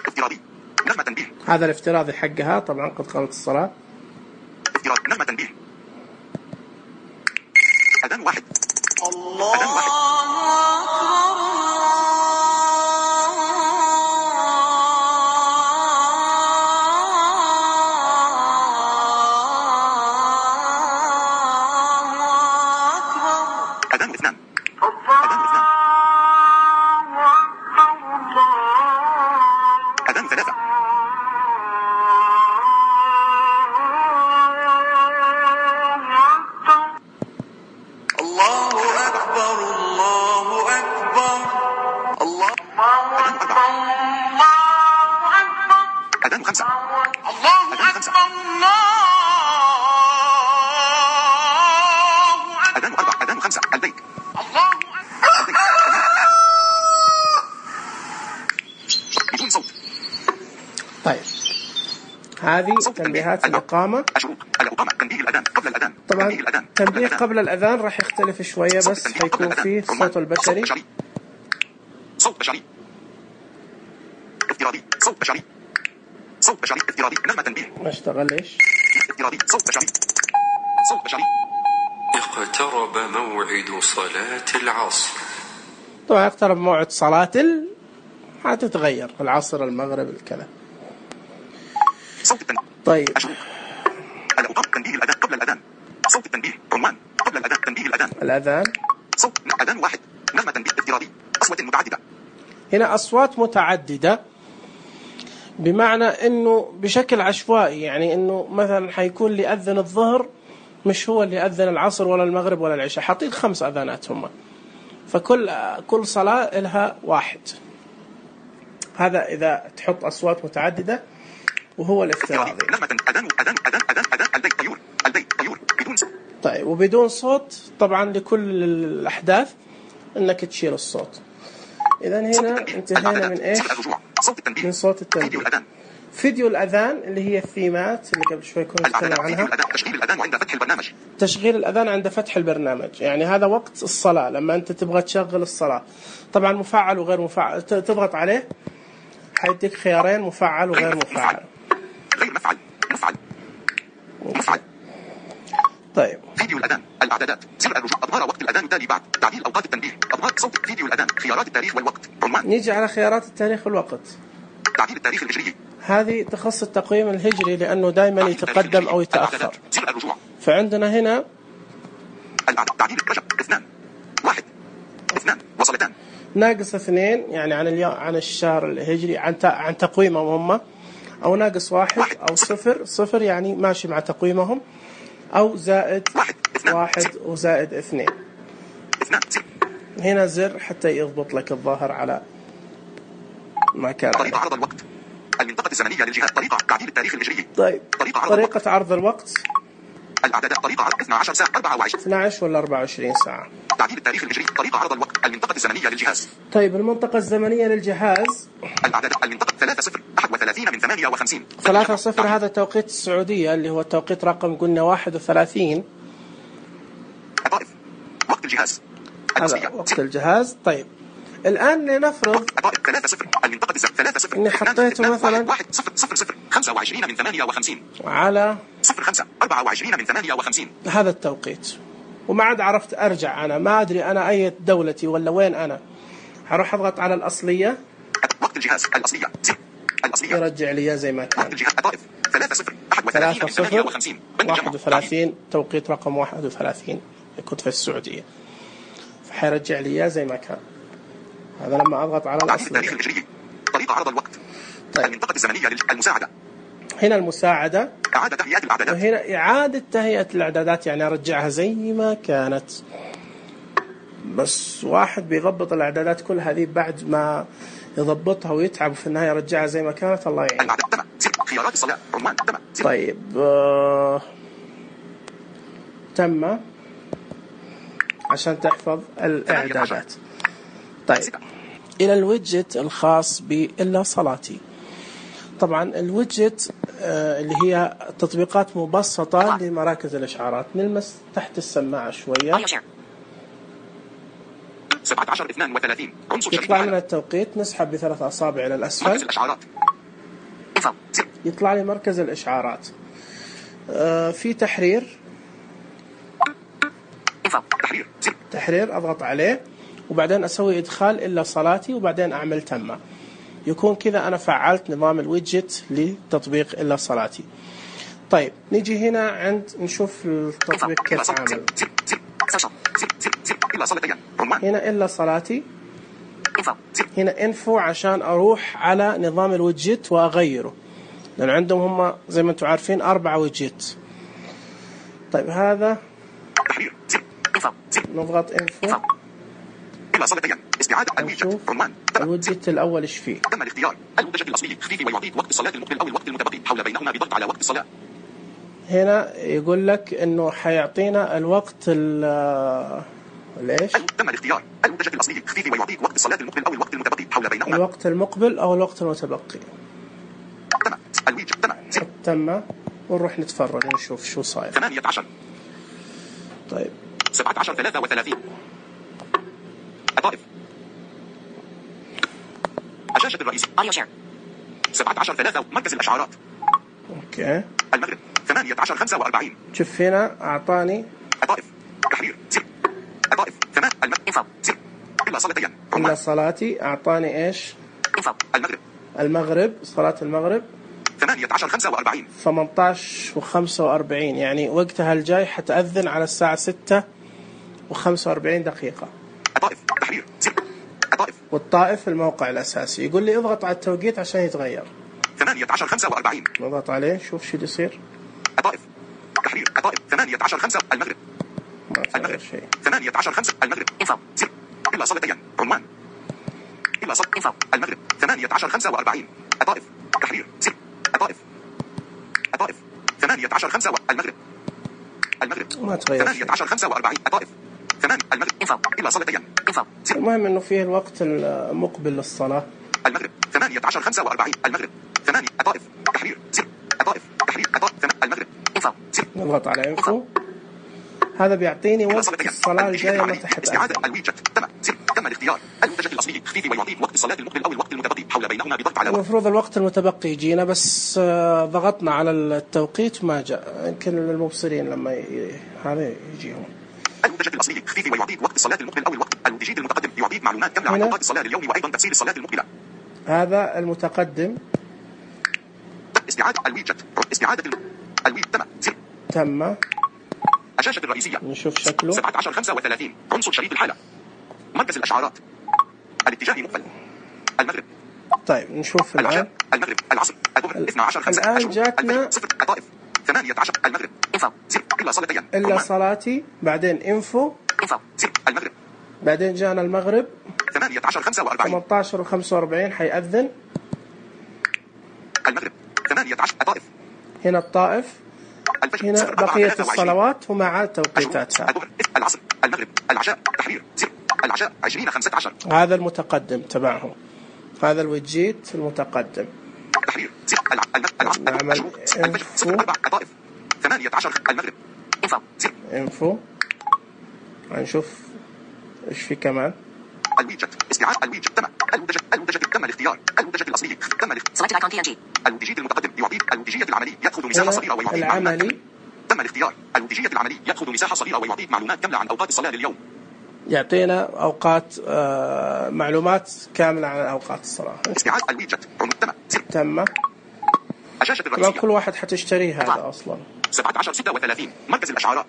[SPEAKER 2] افتراضي. نغمة تنبيه.
[SPEAKER 1] هذا الافتراضي حقها طبعا قد قامت الصلاة.
[SPEAKER 2] افتراض. نغمة تنبيه. أذان واحد.
[SPEAKER 3] الله
[SPEAKER 2] أذان واحد. أذان اثنان. أذان اثنان. أذان ثلاثة.
[SPEAKER 3] الله أكبر الله أكبر الله أكبر الله أكبر.
[SPEAKER 2] أذان خمسة.
[SPEAKER 3] الله أكبر الله
[SPEAKER 2] أذان أربعة. أذان خمسة. البيت.
[SPEAKER 3] الله
[SPEAKER 2] البيت. بدون صوت.
[SPEAKER 1] طيب هذه تنبيهات الإقامة.
[SPEAKER 2] الشروط. الإقامة. تنبيه الأذان قبل الأذان.
[SPEAKER 1] طبعا
[SPEAKER 2] تنبيه الأذان.
[SPEAKER 1] تنبيه قبل الأذان راح يختلف شوية، بس حيكون فيه صوت البشري.
[SPEAKER 2] صوت بشري. افتراضي. صوت بشري. صوت بشري. افتراضي. نغمة تنبيه.
[SPEAKER 1] ما اشتغل ليش؟
[SPEAKER 2] افتراضي. صوت بشري. صوت بشري.
[SPEAKER 3] اقترب موعد صلاة العصر.
[SPEAKER 1] طبعا اقترب موعد صلاة هتتغير العصر المغرب الكذا.
[SPEAKER 2] صوت التنبيه.
[SPEAKER 1] طيب
[SPEAKER 2] الأوقات. تنبيه الأذان قبل الأذان. صوت التنبيه. عنوان قبل الأذان. تنبيه الأذان.
[SPEAKER 1] الأذان.
[SPEAKER 2] صوت أذان واحد. نغمة تنبيه. افتراضي. أصوات متعددة.
[SPEAKER 1] هنا أصوات متعددة بمعنى أنه بشكل عشوائي، يعني أنه مثلا حيكون اللي أذن الظهر مش هو اللي أذن العصر ولا المغرب ولا العشاء، حاطين 5 أذانات هم، فكل صلاة لها واحد. هذا إذا تحط أصوات متعددة، وهو الافتراضي.
[SPEAKER 2] نغمة أذان أذان أذان أذان أذان. البيت طيور. البيت طيور. بدون صوت.
[SPEAKER 1] طيب وبدون صوت طبعا لكل الأحداث أنك تشيل الصوت. إذن هنا انتهينا من إيش؟ من صوت التنبيه. فيديو الأذان اللي هي الثيمات اللي قبل شوي كنا نتكلم عنها.
[SPEAKER 2] تشغيل الأذان عند فتح البرنامج.
[SPEAKER 1] تشغيل الأذان عند فتح البرنامج، يعني هذا وقت الصلاة لما أنت تبغى تشغل الصلاة. طبعا مفعل وغير مفعل، تضغط عليه حيديك خيارين، مفعل وغير مفعل.
[SPEAKER 2] غير مفعل. مفعل. مفعل.
[SPEAKER 1] طيب
[SPEAKER 2] فيديو الأذان. الإعدادات. سر الرجوع. أظهار وقت الأذان التالي بعد. تعديل أوقات التنبيه. أظهار صوت فيديو الأذان. خيارات التاريخ والوقت. عنوان.
[SPEAKER 1] نيجي على خيارات التاريخ والوقت.
[SPEAKER 2] تعديل التاريخ الهجري.
[SPEAKER 1] هذه تخص التقويم الهجري لأنه دائما يتقدم أو يتأخر.
[SPEAKER 2] سر الرجوع.
[SPEAKER 1] فعندنا هنا
[SPEAKER 2] تعديل رجب. 2 1 2 وصلتان.
[SPEAKER 1] ناقص 2 يعني عن اليوم، عن الشهر الهجري، عن تقويمهم هم، أو ناقص 1 أو 0 يعني ماشي مع تقويمهم، أو زائد 1 وزائد 2. هنا زر حتى يضبط لك الظاهر على ما كان.
[SPEAKER 2] طريقة عرض الوقت. المنطقة الزمنية للجهات. طريقة تعديل التاريخ الهجري.
[SPEAKER 1] طيب طريقة عرض الوقت.
[SPEAKER 2] الأعدادات. طريقة عرض 12 ساعة 24.
[SPEAKER 1] 12 ولا 24 ساعة.
[SPEAKER 2] تعديل التاريخ الهجري. طريقة عرض الوقت. المنطقة الزمنية للجهاز.
[SPEAKER 1] طيب المنطقة الزمنية للجهاز.
[SPEAKER 2] الأعدادات. المنطقة 3-0 31 من 58.
[SPEAKER 1] 3-0 هذا توقيت السعودية اللي هو التوقيت رقم قلنا 31.
[SPEAKER 2] الطائف. وقت الجهاز.
[SPEAKER 1] هذا وقت الجهاز. طيب الآن لنفرض
[SPEAKER 2] 3-0 المنطقة 3-0
[SPEAKER 1] إني حطيته مثلا
[SPEAKER 2] 1-0-0 25 من 58
[SPEAKER 1] على
[SPEAKER 2] 0-5 24 من 58.
[SPEAKER 1] هذا التوقيت، وما عاد عرفت أرجع. أنا ما أدري أنا أي دولتي ولا وين أنا. هروح أضغط على الأصلية.
[SPEAKER 2] وقت الجهاز. الأصلية. الأصلية
[SPEAKER 1] يرجع لي زي ما كان.
[SPEAKER 2] وقت الجهاز. الطائف 3-0 31
[SPEAKER 1] 31 توقيت رقم 31 كنت في السعودية، فحيرجع لي زي ما كان. هذا لما أضغط على الأصلية.
[SPEAKER 2] طريقة عرض الوقت. طيب. المنطقة الزمنية المساعدة.
[SPEAKER 1] هنا المساعدة.
[SPEAKER 2] إعادة تهيئة الإعدادات.
[SPEAKER 1] وهنا إعادة تهيئة الإعدادات، يعني أرجعها زي ما كانت. بس واحد بيضبط الإعدادات كل هذه بعد ما يضبطها ويتعب في النهاية يرجعها زي ما كانت. الله يعين.
[SPEAKER 2] خيارات الصلاة. عنوان.
[SPEAKER 1] طيب تم عشان تحفظ الإعدادات. طيب إلى الويدجت الخاص بإلا صلاتي. طبعا الويدجت اللي هي تطبيقات مبسطة لمراكز الإشعارات. نلمس تحت السماعة شوية
[SPEAKER 2] 17:32 عنصر شريط
[SPEAKER 1] يطلع لنا
[SPEAKER 2] الحالة.
[SPEAKER 1] التوقيت، نسحب ب3 أصابع إلى
[SPEAKER 2] مركز
[SPEAKER 1] الأسفل
[SPEAKER 2] الإشعارات
[SPEAKER 1] يطلع لي مركز الإشعارات. في تحرير تحرير أضغط عليه وبعدين أسوي إدخال إلا صلاتي وبعدين أعمل تم. يكون كذا أنا فعلت نظام الويدجت لتطبيق إلا صلاتي. طيب نيجي هنا عند نشوف التطبيق كيف عمل. هنا إلا صلاتي، هنا انفو عشان أروح على نظام الويدجت وأغيره، لأن عندهم هم زي ما أنتم عارفين 4 ويدجت. طيب هذا نضغط انفو نشوف الويدجت الأول إيش فيه.
[SPEAKER 2] تم الاختيار الويدجت الأصلي خفيف ويعطيك وقت الصلاة المقبل أو الوقت المتبقي حول بينهما بضغط على وقت الصلاة.
[SPEAKER 1] هنا يقول لك إنه حيعطينا الوقت ليش؟
[SPEAKER 2] تم الاختيار الويدجت الأصلي خفيف ويعطيك وقت الصلاة المقبل أو الوقت المتبقي حول بينهما.
[SPEAKER 1] الوقت المقبل أو الوقت المتبقي.
[SPEAKER 2] تم الويدجت
[SPEAKER 1] تم ونروح نتفرج نشوف شو صاير.
[SPEAKER 2] 18
[SPEAKER 1] طيب
[SPEAKER 2] 17:33 الطائف الشاشة الرئيسية 17:3 مركز الإشعارات.
[SPEAKER 1] اوكي
[SPEAKER 2] المغرب 18:45
[SPEAKER 1] شوف هنا أعطاني
[SPEAKER 2] الطائف تحرير الطائف 8 المغرب إلا صلاتين
[SPEAKER 1] إلا صلاتي. أعطاني إيش؟
[SPEAKER 2] المغرب
[SPEAKER 1] المغرب صلاة المغرب
[SPEAKER 2] 18:45
[SPEAKER 1] 18:45 يعني وقتها الجاي حتأذن على الساعة 6:45.
[SPEAKER 2] الطائف تحرير الطائف
[SPEAKER 1] والطائف الموقع الأساسي. يقول لي اضغط على التوقيت عشان يتغير.
[SPEAKER 2] 18:45
[SPEAKER 1] نضغط عليه شوف شو يصير.
[SPEAKER 2] الطائف تحرير الطائف 18:05 المغرب
[SPEAKER 1] ما صار شيء.
[SPEAKER 2] 18:05 المغرب إلا صلاتين عمان إلا صلاة المغرب 18:45 الطائف تحرير الطائف 18:05 المغرب
[SPEAKER 1] ما تغير شيء.
[SPEAKER 2] 18:45 الطائف 8 المغرب إلا صلاتين.
[SPEAKER 1] المهم إنه فيه الوقت المقبل للصلاة.
[SPEAKER 2] المغرب 18:45 المغرب 8 الطائف تحرير الطائف تحرير الطائف المغرب
[SPEAKER 1] نضغط على انفو. هذا بيعطيني وقت الصلاة الجاية متى حتأذن.
[SPEAKER 2] استعادة الويدجت تم الاختيار الويدجت الأصلي خفيف ويعطيك وقت الصلاة المقبل أو الوقت المتبقي حول بينهما بضغط على
[SPEAKER 1] المفروض الوقت المتبقي يجينا بس ضغطنا على التوقيت ما جاء. يمكن المبصرين لما هذا يجيهم.
[SPEAKER 2] الويدجت الأصلي خفيف ويعطيك وقت الصلاة المقبل أو الوقت الويدجت المتقدم يعطيك معلومات كاملة عن أوقات الصلاة لليوم وأيضا تفسير الصلاة المقبلة.
[SPEAKER 1] هذا المتقدم
[SPEAKER 2] استعادة الويدجت استعادة الويدجت
[SPEAKER 1] تم.
[SPEAKER 2] الشاشة الرئيسية
[SPEAKER 1] نشوف شكله
[SPEAKER 2] 17:35 عنصر شريط الحالة مركز الإشعارات الاتجاه مقبل المغرب.
[SPEAKER 1] طيب نشوف الآن.
[SPEAKER 2] العشاء المغرب العصر الظهر 12:05
[SPEAKER 1] الآن جاتنا
[SPEAKER 2] الطائف 18 المغرب إلا صلاتين
[SPEAKER 1] إلا صلاتي بعدين انفو
[SPEAKER 2] المغرب
[SPEAKER 1] بعدين جانا المغرب
[SPEAKER 2] 18:45
[SPEAKER 1] 18:45 حيأذن.
[SPEAKER 2] المغرب 18 الطائف
[SPEAKER 1] هنا الطائف. هنا بقية الصلوات ومع توقيتاتها.
[SPEAKER 2] الظهر العصر المغرب العشاء تحرير العشاء 20:15
[SPEAKER 1] هذا المتقدم تبعهم. هذا الويدجيت المتقدم.
[SPEAKER 2] تحرير العصر
[SPEAKER 1] نعمل انفو
[SPEAKER 2] الطائف 18 المغرب
[SPEAKER 1] انفو نشوف ايش في كمان.
[SPEAKER 2] الويدجت استعادة الويدجت تم الويدجت تم الاختيار الويدجت الأصلي تم الاختيار الويدجيت المتقدم يعطيك الويدجيت العملي يأخذ مساحة صغيرة ويعطيك
[SPEAKER 1] العملي
[SPEAKER 2] تم الاختيار الويدجيت العملي يأخذ مساحة صغيرة ويعطيك معلومات كاملة عن أوقات الصلاة لليوم.
[SPEAKER 1] يعطينا أوقات معلومات كاملة عن أوقات الصلاة.
[SPEAKER 2] استعادة الويدجت
[SPEAKER 1] تم.
[SPEAKER 2] الشاشة الرئيسية
[SPEAKER 1] كل واحد حتشتريه هذا أصلا.
[SPEAKER 2] 17:36 مركز الإشعارات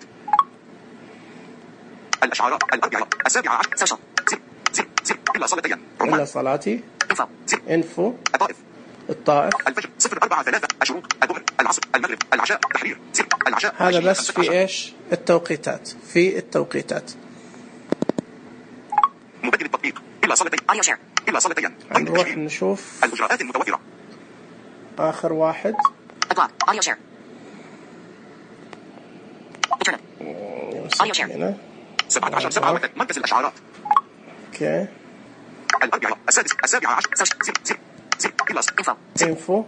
[SPEAKER 2] الإشعارات 17:10 إلا صلاتين
[SPEAKER 1] إلا صلاتي انفو الطائف
[SPEAKER 2] الفجر 0:43 الشروق الظهر العصر المغرب العشاء تحرير العشاء.
[SPEAKER 1] هذا بس في إيش التوقيتات في التوقيتات.
[SPEAKER 2] مبدل التطبيق إلا صلاتين إلا صلاتين.
[SPEAKER 1] نروح نشوف
[SPEAKER 2] الإجراءات المتوفرة.
[SPEAKER 1] آخر واحد
[SPEAKER 2] 17:07 مركز الإشعارات.
[SPEAKER 1] اوكي
[SPEAKER 2] الأربعاء 6:17 إلا
[SPEAKER 1] انفو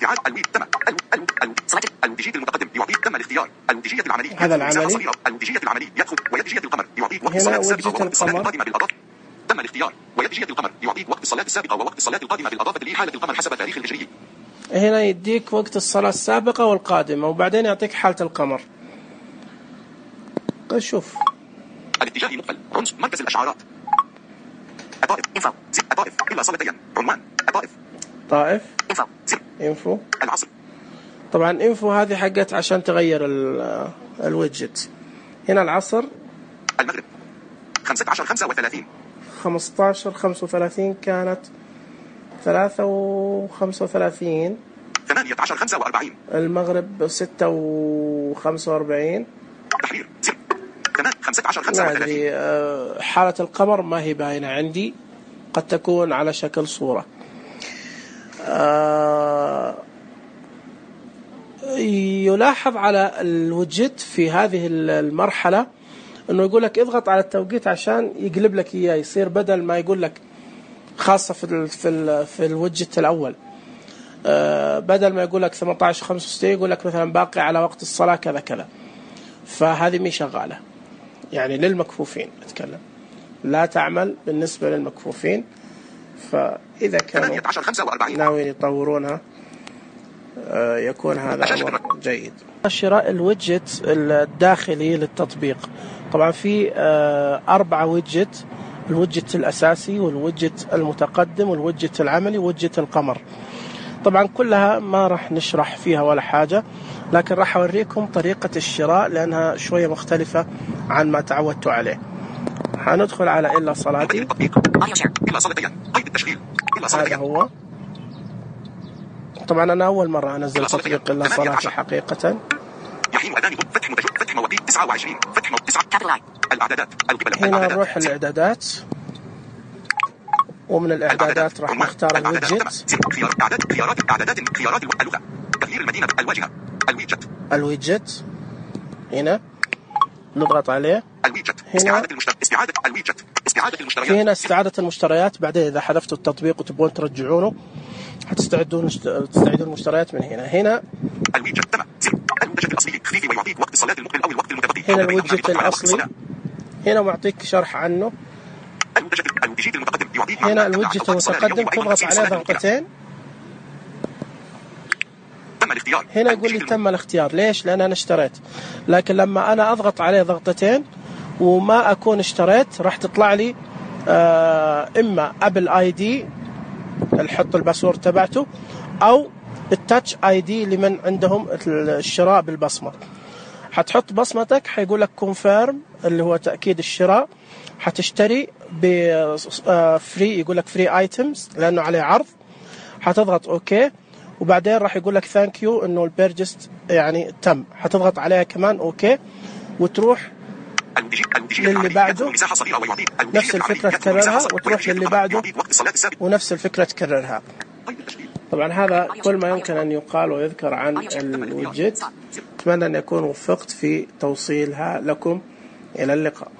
[SPEAKER 2] استعادة الويب تم الوديجية المتقدم يعطيك تم الاختيار الوديجية العملي
[SPEAKER 1] هذا العملي
[SPEAKER 2] الوديجية العملي يدخل ويدجية القمر يعطيك وقت
[SPEAKER 1] هنا
[SPEAKER 2] الصلاة السابقة
[SPEAKER 1] وجهة
[SPEAKER 2] ووقت الصلاة
[SPEAKER 1] القمر.
[SPEAKER 2] القادمة بالإضافة تم الاختيار ويدجية القمر يعطيك وقت الصلاة السابقة ووقت الصلاة القادمة بالإضافة لحالة القمر حسب تاريخ الهجري.
[SPEAKER 1] هنا يديك وقت الصلاة السابقة والقادمة وبعدين يعطيك حالة القمر. شوف
[SPEAKER 2] الاتجاه مقفل عنصر مركز الأشعارات الطائف انفو زر الطائف إلا صلتين عنوان الطائف
[SPEAKER 1] طائف
[SPEAKER 2] انفو زر
[SPEAKER 1] انفو.
[SPEAKER 2] العصر
[SPEAKER 1] طبعا انفو هذه حقت عشان تغير الويدجت. هنا العصر
[SPEAKER 2] المغرب 15 35
[SPEAKER 1] 15 35 كانت 3 و35
[SPEAKER 2] 18 45
[SPEAKER 1] المغرب 6 و45
[SPEAKER 2] تحرير زر 15
[SPEAKER 1] ما
[SPEAKER 2] 35
[SPEAKER 1] أدري حالة القمر ما هي باينة عندي قد تكون على شكل صورة. يلاحظ على الوجت في هذه المرحلة انه يقول لك اضغط على التوقيت عشان يقلب لك اياه يصير بدل ما يقول لك خاصة في الوجت الاول بدل ما يقول لك 18 65 يقول لك مثلا باقي على وقت الصلاة كذا كذا. فهذه مي شغالة يعني للمكفوفين اتكلم لا تعمل بالنسبة للمكفوفين. فإذا كانوا
[SPEAKER 2] 18 45
[SPEAKER 1] ناويين يطورونها يكون هذا أمر جيد. شراء الويدجت الداخلي للتطبيق طبعا في 4 ويدجت الويدجت الأساسي والويدجت المتقدم والويدجت العملي وويدجت القمر. طبعا كلها ما راح نشرح فيها ولا حاجة لكن راح أوريكم طريقة الشراء لأنها شوية مختلفة عن ما تعودتوا عليه. هندخل على إلا صلاتي
[SPEAKER 2] إلا صلاتين قيد التشغيل إلا
[SPEAKER 1] هذا
[SPEAKER 2] صلاتين
[SPEAKER 1] هو. طبعا أنا أول مرة أنزل تطبيق إلا صلاتي حقيقة.
[SPEAKER 2] يحين أذان فتح مواقيت 29 فتح 9 الإعدادات القبل
[SPEAKER 1] هنا نروح الإعدادات ومن الإعدادات راح نختار الويدجت
[SPEAKER 2] خيارات اللغة تغيير المدينة الواجهة
[SPEAKER 1] الويدجت هنا نضغط عليه.
[SPEAKER 2] الويدجت
[SPEAKER 1] هنا
[SPEAKER 2] استعادة الويدجت استعادة المشتريات
[SPEAKER 1] في هنا استعادة المشتريات. بعدين إذا حذفتوا التطبيق وتبون ترجعونه تستعيدون المشتريات من هنا
[SPEAKER 2] الويدجت تم المنتجات الأصلي خفيف ويعطيك وقت الصلاة المقبل أو الوقت المتبقي.
[SPEAKER 1] هنا الويدجت الأصلي هنا معطيك شرح عنه.
[SPEAKER 2] الويدجت المتقدم يعطيك
[SPEAKER 1] هنا الويدجت المتقدم تضغط عليه ضغطتين
[SPEAKER 2] تم الاختيار.
[SPEAKER 1] هنا يقول لي تم الاختيار. ليش؟ لأن أنا اشتريت. لكن لما أنا أضغط عليه ضغطتين وما أكون اشتريت راح تطلع لي إما أبل آي دي نحط الباسورد تبعته أو التاتش آي دي لمن عندهم الشراء بالبصمة. حتحط بصمتك حيقول لك كونفيرم اللي هو تأكيد الشراء. حتشتري بفري يقول لك فري ايتمز لأنه عليه عرض. حتضغط اوكي وبعدين راح يقول لك ثانك يو انه البيرجست يعني تم. حتضغط عليها كمان اوكي وتروح للي بعده نفس الفكرة تكررها وتروح للي بعده ونفس الفكرة تكررها. طبعا هذا كل ما يمكن أن يقال ويذكر عن الويدجت. أتمنى أن يكون وفقت في توصيلها لكم. إلى اللقاء.